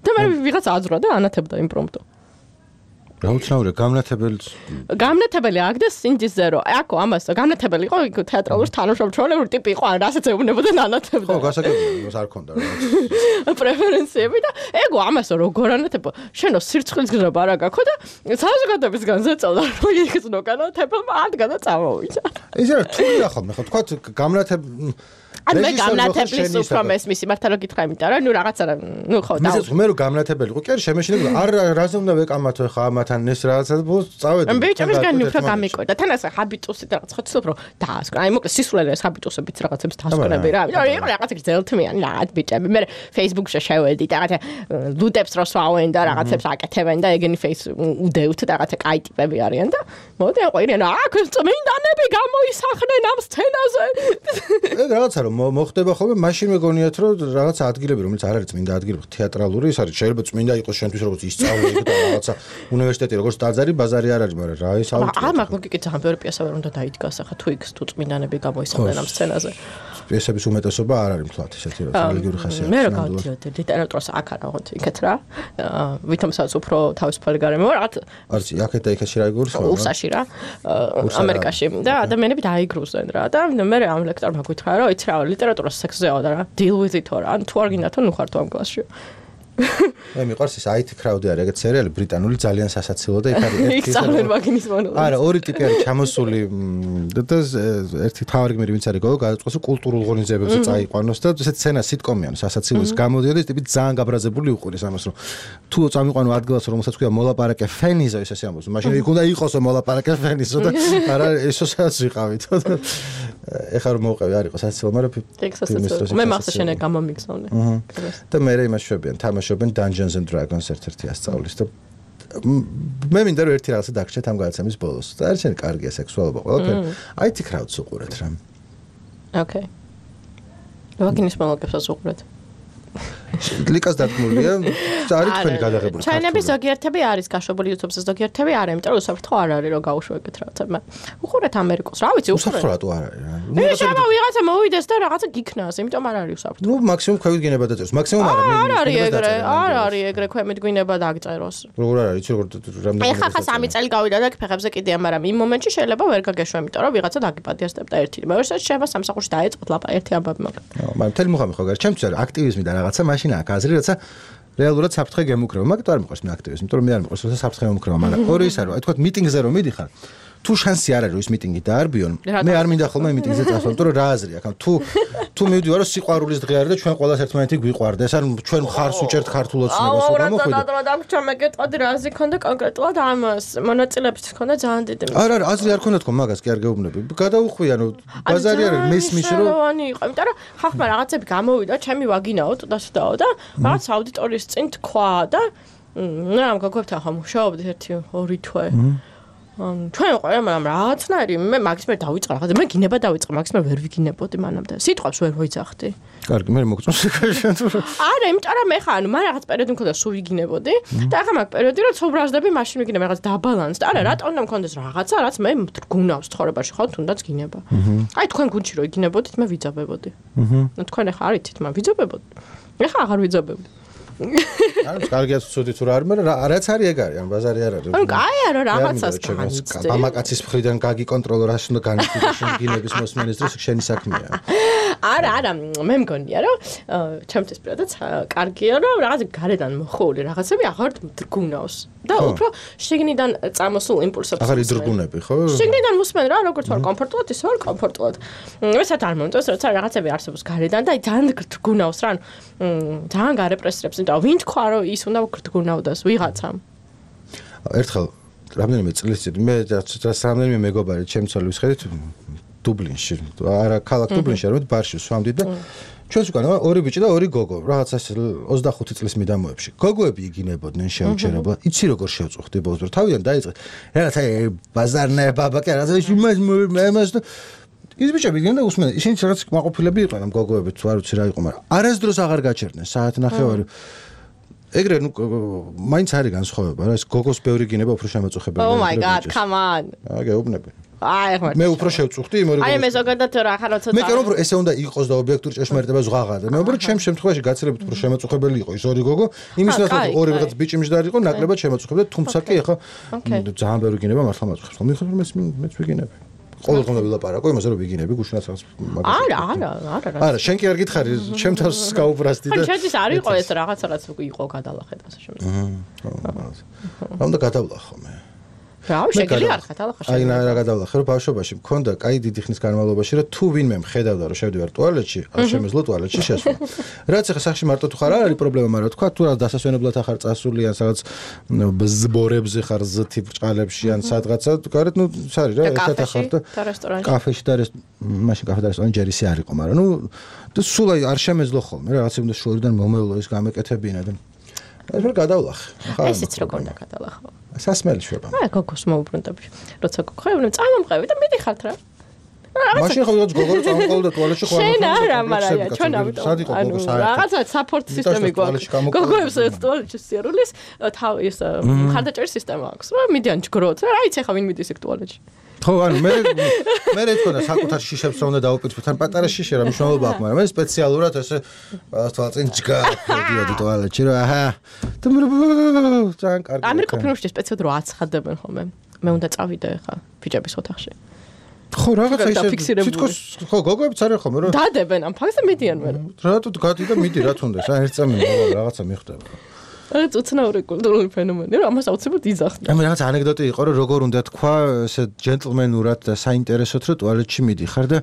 და მე ვიღაც აძრა და ანათებდა იმპრომპტო რა უცნაურია გამნათებელს გამნათებელი აგდეს სინჯიზე რომ აკო ამას გამნათებელი იყო იქ თეატრალურ თანამშრომლური ტიპი იყო ან რასაც ეუბნებოდა ნანათებდა ხო გასაგებია არ ქონდა რა პრეფერენციები და ეგო ამას როგორ ანათებო შენო სირცხლის გზნობა რა გაქო და საზოგადოებისგან ზეწოდა რომ იქნო განათებელმა ადგა და წამოვიდა ეს რა თულია ხოლმე ხო თქვა გამნათებ ან მე გამნათებლის უფრო მესმის მართლა რომ გითხრა იმიტომ რომ ნუ რაღაცა ნუ ხო და მე რომ გამნათებელი იყო კი არა შემეშინებული არ რაზე უნდა ვეკამათო ხა ამათან ეს რაღაცა ბოლოს წავედი ბიჭებისგან უფრო გამიკვირდა თან ასე ჰაბიტუსით რაღაც ხოცილობ რომ დაასკრა აი მოკლედ სისულელე ეს ჰაბიტუსებით რაღაცებს დასკვნები რა იმიტომ იყო რაღაცა გრძელთმიანი რაღაც ბიჭები მე Facebook-ში შევედი და რაღაცა ლუდებს რო სვავენ და რაღაცებს აკეთებენ და ეგენი face უდევთ და რაღაცა კაი ტიპები არიან და მოდი აყვირიან აქ წმინდანები გამოისახნენ ამ სცენაზე ეგ რაღაცა რომ მოხდება ხოლმე მაშინ მეგონიათ რომ რაღაცა ადგილები რომელიც არ არის წმინდა ადგილები თეატრალური ის არის შეიძლება წმინდა იყოს შენთვის როგორც ისწავლე და რაღაცა უნივერსიტეტი როგორც ტაძარი ბაზარი არ არის მაგრამ რა ის აუცილებლად აა მაგრამ კი ძალიან ბევრი პიესა ვერ უნდა დაიდგას ახლა თუ იქ თუ წმინდანები გამოისახდნენ ამ სცენაზე პიესების უმეტესობა არ არის მთლად ისეთი რა რელიგიური ხასიათის მე რა გავდიოდი ლიტერატურას აქ არა ვღოთ იქეთ რა ვითომსაც უფრო თავისუფალი გარემო რაღაც არც აქეთ და იქეთ რა იგურს უსაში რა ამერიკაში და ადამიანები დაიგრუზენ რა და მე ამ ლექტორმა გითხრა რომ იცი რა ლიტერატურა სექსზეა და რა deal with it რა ან თუ არ გინდა თუ ნუ ხარ თუ ამ კლასში მე მიყვარს ეს აი თი crowd-ი არის ეგეთ სერიალი ბრიტანული ძალიან სასაცილო და იქ არის ერთი იქ ძალიან მაგინის მონოლოგი არა ორი ტიპი არის ჩამოსული და ერთი თავი გმირი ვინც არის გოგო გადაწყვეტს კულტურულ ღონისძიებებზე წაიყვანოს და ესეთ სცენა სიტკომიან სასაცილოს გამოდიოდა ეს ტიპი ძალიან გაბრაზებული უყურეს ამას რომ თუ წამიყვანო ადგილას რომელსაც ქვია მოლაპარაკე ფენიზო ეს ასე ამბობს მაშინ იქ უნდა იყოსო მოლაპარაკე ფენიზო და არა ესოსაც ვიყავით ეხლა რომ მოვყევი არ იყო სასაცილო მაგრამ მე მახსოვს შენ გამომიგზავნე და მე იმას შვებიან თამაშობენ Dungeons and Dragons ერთ-ერთი ასწავლის და მე მინდა რომ ერთი რაღაცა დაგჭეთ ამ გადაცემის ბოლოს და არ შენ კარგია სექსუალობა ყველაფერი აი თი crowd-ს უყურეთ რა ოკეი ვაგინის მონოლოგებს უყურეთ ლიკას დათმულია არის თქვენი გადაღებული ჩაინების ზოგიერთები არის გაშვებული YouTube-ზე ზოგიერთები არა იმიტომ რომ უსაფრთხო არ არის რომ გაუშვო ეგეთ რაღაცა უყურეთ ამერიკოს რა ვიცი უყურეთ უსაფრთხო რატო არ არის რა მე შევა ვიღაცა მოვიდეს და რაღაცა გიქნას იმიტომ არ არის უსაფრთხო ნუ მაქსიმუმ ქვევით გინება დაწეროს მაქსიმუმ არა მე არ არის ეგრე არ არის ეგრე ქვემით გვინება დაგწეროს როგორ არის იცი როგორ რამდენი ეხა ხა სამი წელი გავიდა და ფეხებზე კიდეა მაგრამ იმ მომენტში შეიძლება ვერ გაგეშვა იმიტომ რომ ვიღაცა დაგიპატიასტებ და ერთი მეორესაც შეიძლება სამსახურში დაეწყოთ ლაპა ერთი ამბავი მაგრამ მაგრამ მთელი მუხამი ხო გარ ჩემთვის არის აქტივიზმი და რაღაცა მაშინ აქ აზრი რაცა რეალურად საფრთხე გემუქრება მაგრამ არ მიყვარს მე აქტივიზმი იმიტომ რომ მე არ მიყვარს რომ საფრთხე მომუქრება მაგრამ ორი ის არის რომ აი თქვა მიტინგზე რომ მიდიხარ თუ შანსი არ არის რომ ის მიტინგი დაარბიონ მე არ მინდა ხოლმე მიტინგზე წასვლა იმიტომ რომ რა აზრი აქვს თუ თუ მივდივარ რომ სიყვარულის დღე არის და ჩვენ ყველას ერთმანეთი გვიყვარდეს ან ჩვენ მხარს უჭერთ ქართულ ოცნებას რომ გამოხვიდე აუ რა დაგჭა მე გეტყოდი რა აზრი ქონდა კონკრეტულად ამას მონაწილეებს ქონდა ძალიან დიდი არა არა აზრი არ ქონდა თქო მაგას კი არ გეუბნები გადაუხვიან ბაზარი არის მესმის რომ ანუ იყო იმიტომ რომ ხახმა რაღაცები გამოვიდა ჩემი ვაგინაო ტუდასდაო და რაღაც აუდიტორიის წინ თქვა და რა ამ გოგოებთან ხომ მუშაობდი ერთი ორი თვე ჩვენ ყოლა მაგრამ რაღაცნაირი მე მაგის მე დავიწყე რაღაცა მე გინება დავიწყე მაგის მე ვერ ვიგინებოდი მანამდე სიტყვებს ვერ მოიძახდი კარგი მე მოგწონს არა იმიტომ რომ მე ხა ანუ მან რაღაც პერიოდი მქონდა სულ ვიგინებოდი და ახლა მაგ პერიოდი რომ ცობრაზდები მაშინ ვიგინებ რაღაც დაბალანსდა არა რატომ უნდა მქონდეს რაღაცა რაც მე მდგუნავს ცხოვრებაში ხო თუნდაც გინება აი თქვენ გუნდში რო იგინებოდით მე ვიძაბებოდი აჰა თქვენ ახლა არითით მაგრამ ვიძაბებოდი ეხლა აღარ ვიძაბებოდი ანუ კარგია ცუდი თუ რა არის მაგრამ რაც არის ეგ არის ანუ ბაზარი არ არის ანუ კაია რომ რაღაცას განიცდე მამაკაცის მხრიდან გაგიკონტროლო რა უნდა განიცდე შენ გინების მოსმენის დროს შენი საქმეა არა არა მე მგონია რომ ჩემთვის პირადად კარგია რომ რაღაც გარედან მოხული რაღაცები აღარ დრგუნავს და უფრო შიგნიდან წამოსულ იმპულსებს აღარ იდრგუნები ხო შიგნიდან მოსმენ რა როგორც ვარ კომფორტულად ისე ვარ კომფორტულად მესაც არ მომწონს როცა რაღაცები არსებობს გარედან და ძალიან დრგუნავს რა ძალიან გარეპრესირებს და ვინ თქვა რომ ის უნდა გრდგუნავდეს ვიღაცამ ერთხელ რამდენიმე წლის წინ მე რამდენიმე მეგობარი ჩემი ცოლის ხედით დუბლინში არა ქალაქ დუბლინში რომ ბარში სვამდი და ჩვენს უკან ორი ბიჭი და ორი გოგო, რაღაც ეს ოცდახუთი წლის მიდამოებში. გოგოები იგინებოდნენ შეუჩერებლად. იცი როგორ შევწუხდი ბოლოს, რომ თავიდან დაიწყე. რაღაც აი ბაზარნე ბაბაკი, რაღაც იმას იმას ის ბიჭები იგინებდნენ და უსმენდნენ. ისინი რაღაც მაყოფილები იყვნენ ამ გოგოებით, თუ არ ვიცი რა იყო, მაგრამ არასდროს აღარ გაჩერდნენ საათ ნახევარი. ეგრე ნუ მაინც არის განსხვავება რა, ეს გოგოს ბევრი გინება უფრო შემაწუხებელი. Oh my god, come on. აა გეუბნები. აი ხარ. მე უფრო შევწუხდი იმ ორი. აი მე ზოგადად რა ხარ როცა მე კერო ეს უნდა იყოს და ობიექტური ჭეშმარიტება ზღაღა და მე უბრალოდ ჩემს შემთხვევაში გაცილებით უფრო შემაწუხებელი იყო ის ორი გოგო. იმის ნაცვლად ორი რაღაც ბიჭი მჯდარი იყო, ნაკლებად შემაწუხებდა, თუმცა კი ახლა ძალიან ბევრი გინება მართლა მაწყობს. მიხარ მეც მეც ვიგინები. ყოველდღე უნდა ვილაპარაკო იმაზე რომ ვიგინები გუშინაც რაღაც მაგას. არა, არა, არა. არა, შენ კი არ გითხარი, ჩემ თავს გაუბრასდი და. შენ ის არ იყო ეს რაღაცა რაც იყო გადალახეთ ასე შემდეგ. აჰა. უნდა გადავლახო მე. რა, შეგიძლია არ გადალახო. აი რა გადავლახე, რომ ბავშვობაში მქონდა კაი დიდი ხნის განმავლობაში, რომ თუ ვინმე მხედავდა რომ შევდივარ ტუალეტში, არ შემეძლო ტუალეტში შესვლა. რაც ახლა სახში მარტო თუ ხარ არ არის პრობლემა, მაგრამ თქვა თუ რა დასასვენებლად ახარ წასული ან სადაც ზბორებზე ხარ ზთი ბრჭყალებში ან სადღაცა, გარეთ ნუ სარი რა, ერთად ახარ და კაფეში და მაშინ კაფე და რესტორანი ჯერისი არ იყო, მაგრამ ნუ სულ აი არ შემეძლო ხოლმე, რაღაც უნდა შორიდან მომეულო ის გამეკეთებინა და ეს ვერ გადავლახე. ესეც როგორ უნდა გადალახო? სასმელი შვება. აი გოგოს მოუბრუნდები. როცა გოგოებნე წამომყევი და მიდიხართ რა. მაშინ ხო ვიღაც გოგო წამოყავდა და ტუალეტში ხო შენ არა, მაგრამ ჩვენ ამიტომ. ანუ რაღაცა support სისტემი გვაქვს. გოგოებს ტუალეტში სიარულის თავი ეს მხარდაჭერის სისტემა აქვს. რა მიდიან ჯგროთ. რა იცი ხა ვინ მიდის ეგ ტუალეტში. ხო, ანუ მე მე რა თქმა უნდა საკუთარ შიშებს რომ უნდა დავუპირისპირდეთ, თან პატარა შიში რა მნიშვნელობა აქვს, მაგრამ მე სპეციალურად ესე თვალწინ ჯგა მიდიოდი ტუალეტში რა. აჰა. და მე ძალიან კარგი. ამერიკულ ფილმებში სპეციალურად რო აცხადებენ ხოლმე. მე უნდა წავიდე ხა ბიჭების ოთახში. ხო, რაღაცა ისე თითქოს ხო გოგოებიც არის ხოლმე რომ დადებენ ამ ფაქტს და მიდიან მე. რატო გადი და მიდი რა თუნდაც, აი ერთ წამი რაღაცა მიხდება. ეს უცნაური კულტურული ფენომენია, რომ ამას აუცილებლად იძახდა. აი მე რაღაც ანეკდოტი იყო, რომ როგორ უნდა თქვა, ესე ჯენტლმენურად და საინტერესოდ, რომ ტუალეტში მიდიხარ და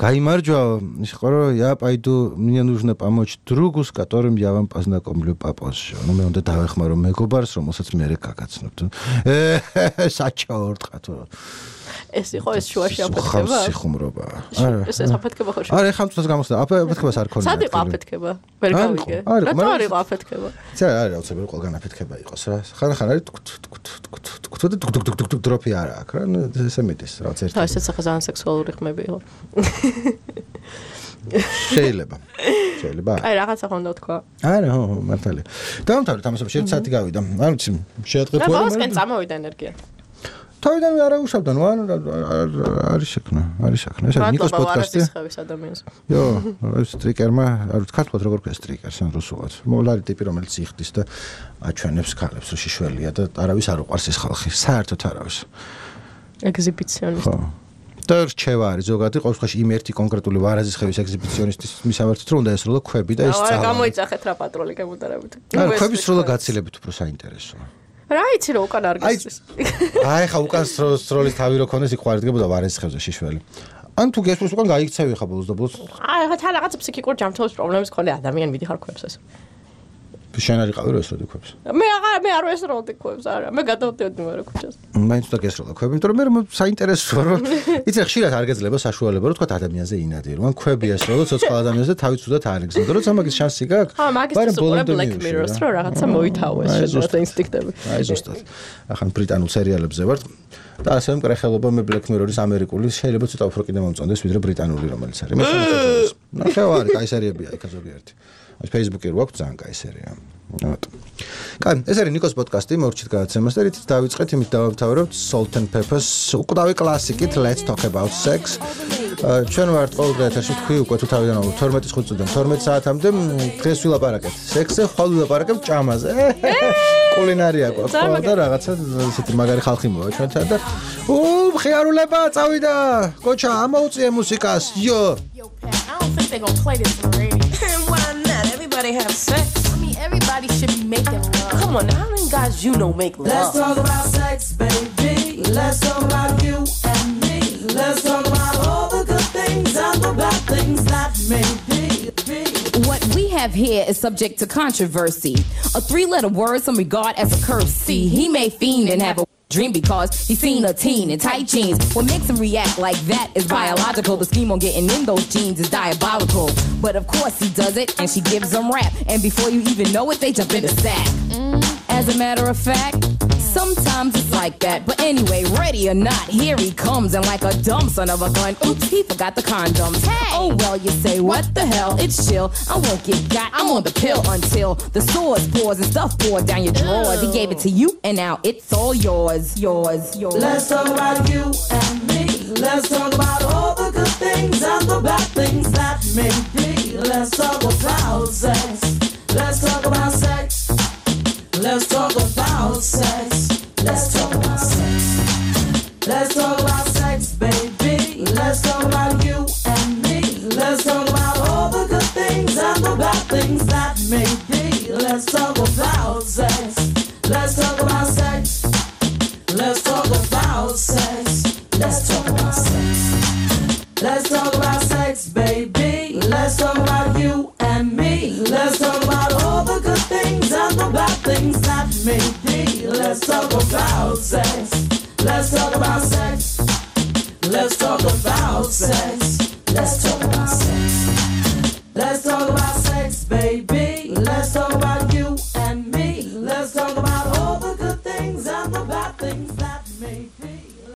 გაიმარჯვა, ის იყო, რომ я пойду, мне нужно помочь другу, с которым я вам познакомлю попозже. Ну მე უნდა დავეხმარო მეგობარს, რომელსაც მე გაგაცნობთ. საჩაორტყა თუ ეს იყო ეს შუაში აფეთქება? სიხუმრობა. არა. ეს ეს აფეთქება ხო? არა, ხან თვითონ გამოსდა. აფეთქებას არ ქონია. სად იყო აფეთქება? ვერ გავიგე. რატო არ იყო აფეთქება? ძა არა, აუცილებლად ყველგან აფეთქება იყოს რა. ხან ხან არის თქ თქ თქ თქ დროპი არა აქ რა. ესე მიდის რაღაც ერთი. ხო, ესეც ახლა ძალიან სექსუალური ხმები იყო. შეიძლება. შეიძლება. აი რაღაცა ხონდა თქვა. არა, ხო, მართალია. დავამთავრეთ ამასობაში ერთი საათი გავიდა. არ ვიცი, შეატყე თუ არა. რა ბოლოსკენ წამოვიდა ენერგია. თავიდან არა უშავდა, ნუ არის შექმნა, არის შექმნა. ეს ნიკოს პოდკასტი. იო, ეს სტრიკერმა, არ ვიცი ქართულად როგორ ქვია სტრიკერს ან რუსულად. მოლარი ტიპი რომელიც იხდის და აჩვენებს ქალებს, რომ შიშველია და არავის არ უყვარს ეს ხალხი, საერთოდ არავის. ეგზიბიციონისტი. ხო. და რჩევა არის ზოგადად ყოველ შემთხვევაში იმ ერთი კონკრეტული ვარაზის ხევის ეგზიბიციონისტის მისამართით რომ უნდა ესრულო ქვები და ეს წავა. რა გამოიწახეთ რა პატრული გემუდარებით. არა, ქვების სროლა გაცილებით უფრო საინტერესოა. რა იცი რომ უკან არ გასცეს. აი ხა უკან სროლის თავი რო ქონდეს იქ ხარ დგებოდა ვარეზის ხევზე შიშველი. ან თუ გესმის უკან გაიქცევი ხა ბოლოს და ბოლოს. აი ხა თან რაღაც ფსიქიკურ ჯანმრთელობის პრობლემის მქონე ადამიანი მიდიხარ ქვებს ეს. შენ არ იყავი რო ესროდი ქვებს. მე აღარ მე არ ესროდი ქვებს არა. მე გადავდიოდი მერე ქუჩას. მაინც უნდა გესროლა ქვები, იმიტომ რომ მე საინტერესოა რომ იცი ხშირად არ გეძლება საშუალება რომ თქვა ადამიანზე ინადი რომ ქვები ესროლო ცოცხალ ადამიანზე თავი ცუდად არ იგზნო. როცა მაგის შანსი გაქვს, მაგრამ ბოლომდე Black Mirror-ს რო რაღაცა მოითავეს შედარება ინსტინქტები. აი ზუსტად. ახან ბრიტანულ სერიალებზე ვარ და ასე მკრეხელობა მე Black Mirror-ის ამერიკული შეიძლება ცოტა უფრო კიდე მომწონდეს ვიდრე ბრიტანული რომელიც არის. მე შემოწევს. ნახევარი კაი სერიებია იქ ზოგიერთი. ეს Facebook-ი რო აქვს ძალიან კაი სერია. რატო? კაი, ეს არის ნიკოს პოდკასტი, მოვრჩით გადაცემას და რითიც დავიწყეთ, იმით დავამთავრებთ Salt and Peppers, უკვდავი კლასიკით Let's Talk About Sex. ჩვენ ვართ ყოველდღე ეთერში თქვი უკვე თუ თავიდან თორმეტი წუთიდან თორმეტ საათამდე დღეს ვილაპარაკეთ სექსზე, ხვალ ვილაპარაკებ ჭამაზე. კულინარია გვაქვს და რაღაცა ისეთი მაგარი ხალხი მოვა ჩვენთან და უ მხიარულება წავიდა. კოჩა, ამოუწიე მუსიკას. იო. I don't think they gonna play this on the radio. Why not? Everybody have sex. I mean, everybody should be making love. Come on, how many guys you know make love? Let's talk about sex, baby. Let's talk about you and me. Let's talk about all the good things and the bad things that may be. What we have here is subject to controversy. A three-letter word some regard as a curse. See, he may fiend and have a dream because he's seen a teen in tight jeans. What makes him react like that is biological. The scheme on getting in those jeans is diabolical. But of course he does it and she gives him rap. And before you even know it, they jump in the sack. As a matter of fact, sometimes it's like that. But anyway, ready or not, here he comes. And like a dumb son of a gun, oops, he forgot the condoms. Hey. Oh well, you say, what the hell? It's chill. I won't get got, I'm on the pill until the sores pours and stuff poured down your drawers. He gave it to you and now it's all yours, yours, yours. Let's talk about you and me. Let's talk about all the good things and the bad things that may be. Let's talk about sex. Let's talk about sex. Let's talk about sex. Let's talk about sex. Let's talk about sex, baby. Let's talk about you and me. Let's talk about all the good things and the bad things that may be. Let's talk about sex. Let's talk about sex. Let's talk about sex. Let's talk about sex. Let's talk about sex, baby. Let's talk about you and me. Let's talk about all the good things and the bad things that may be. Let's talk about sex. Let's talk about sex. Let's talk about sex. Let's talk about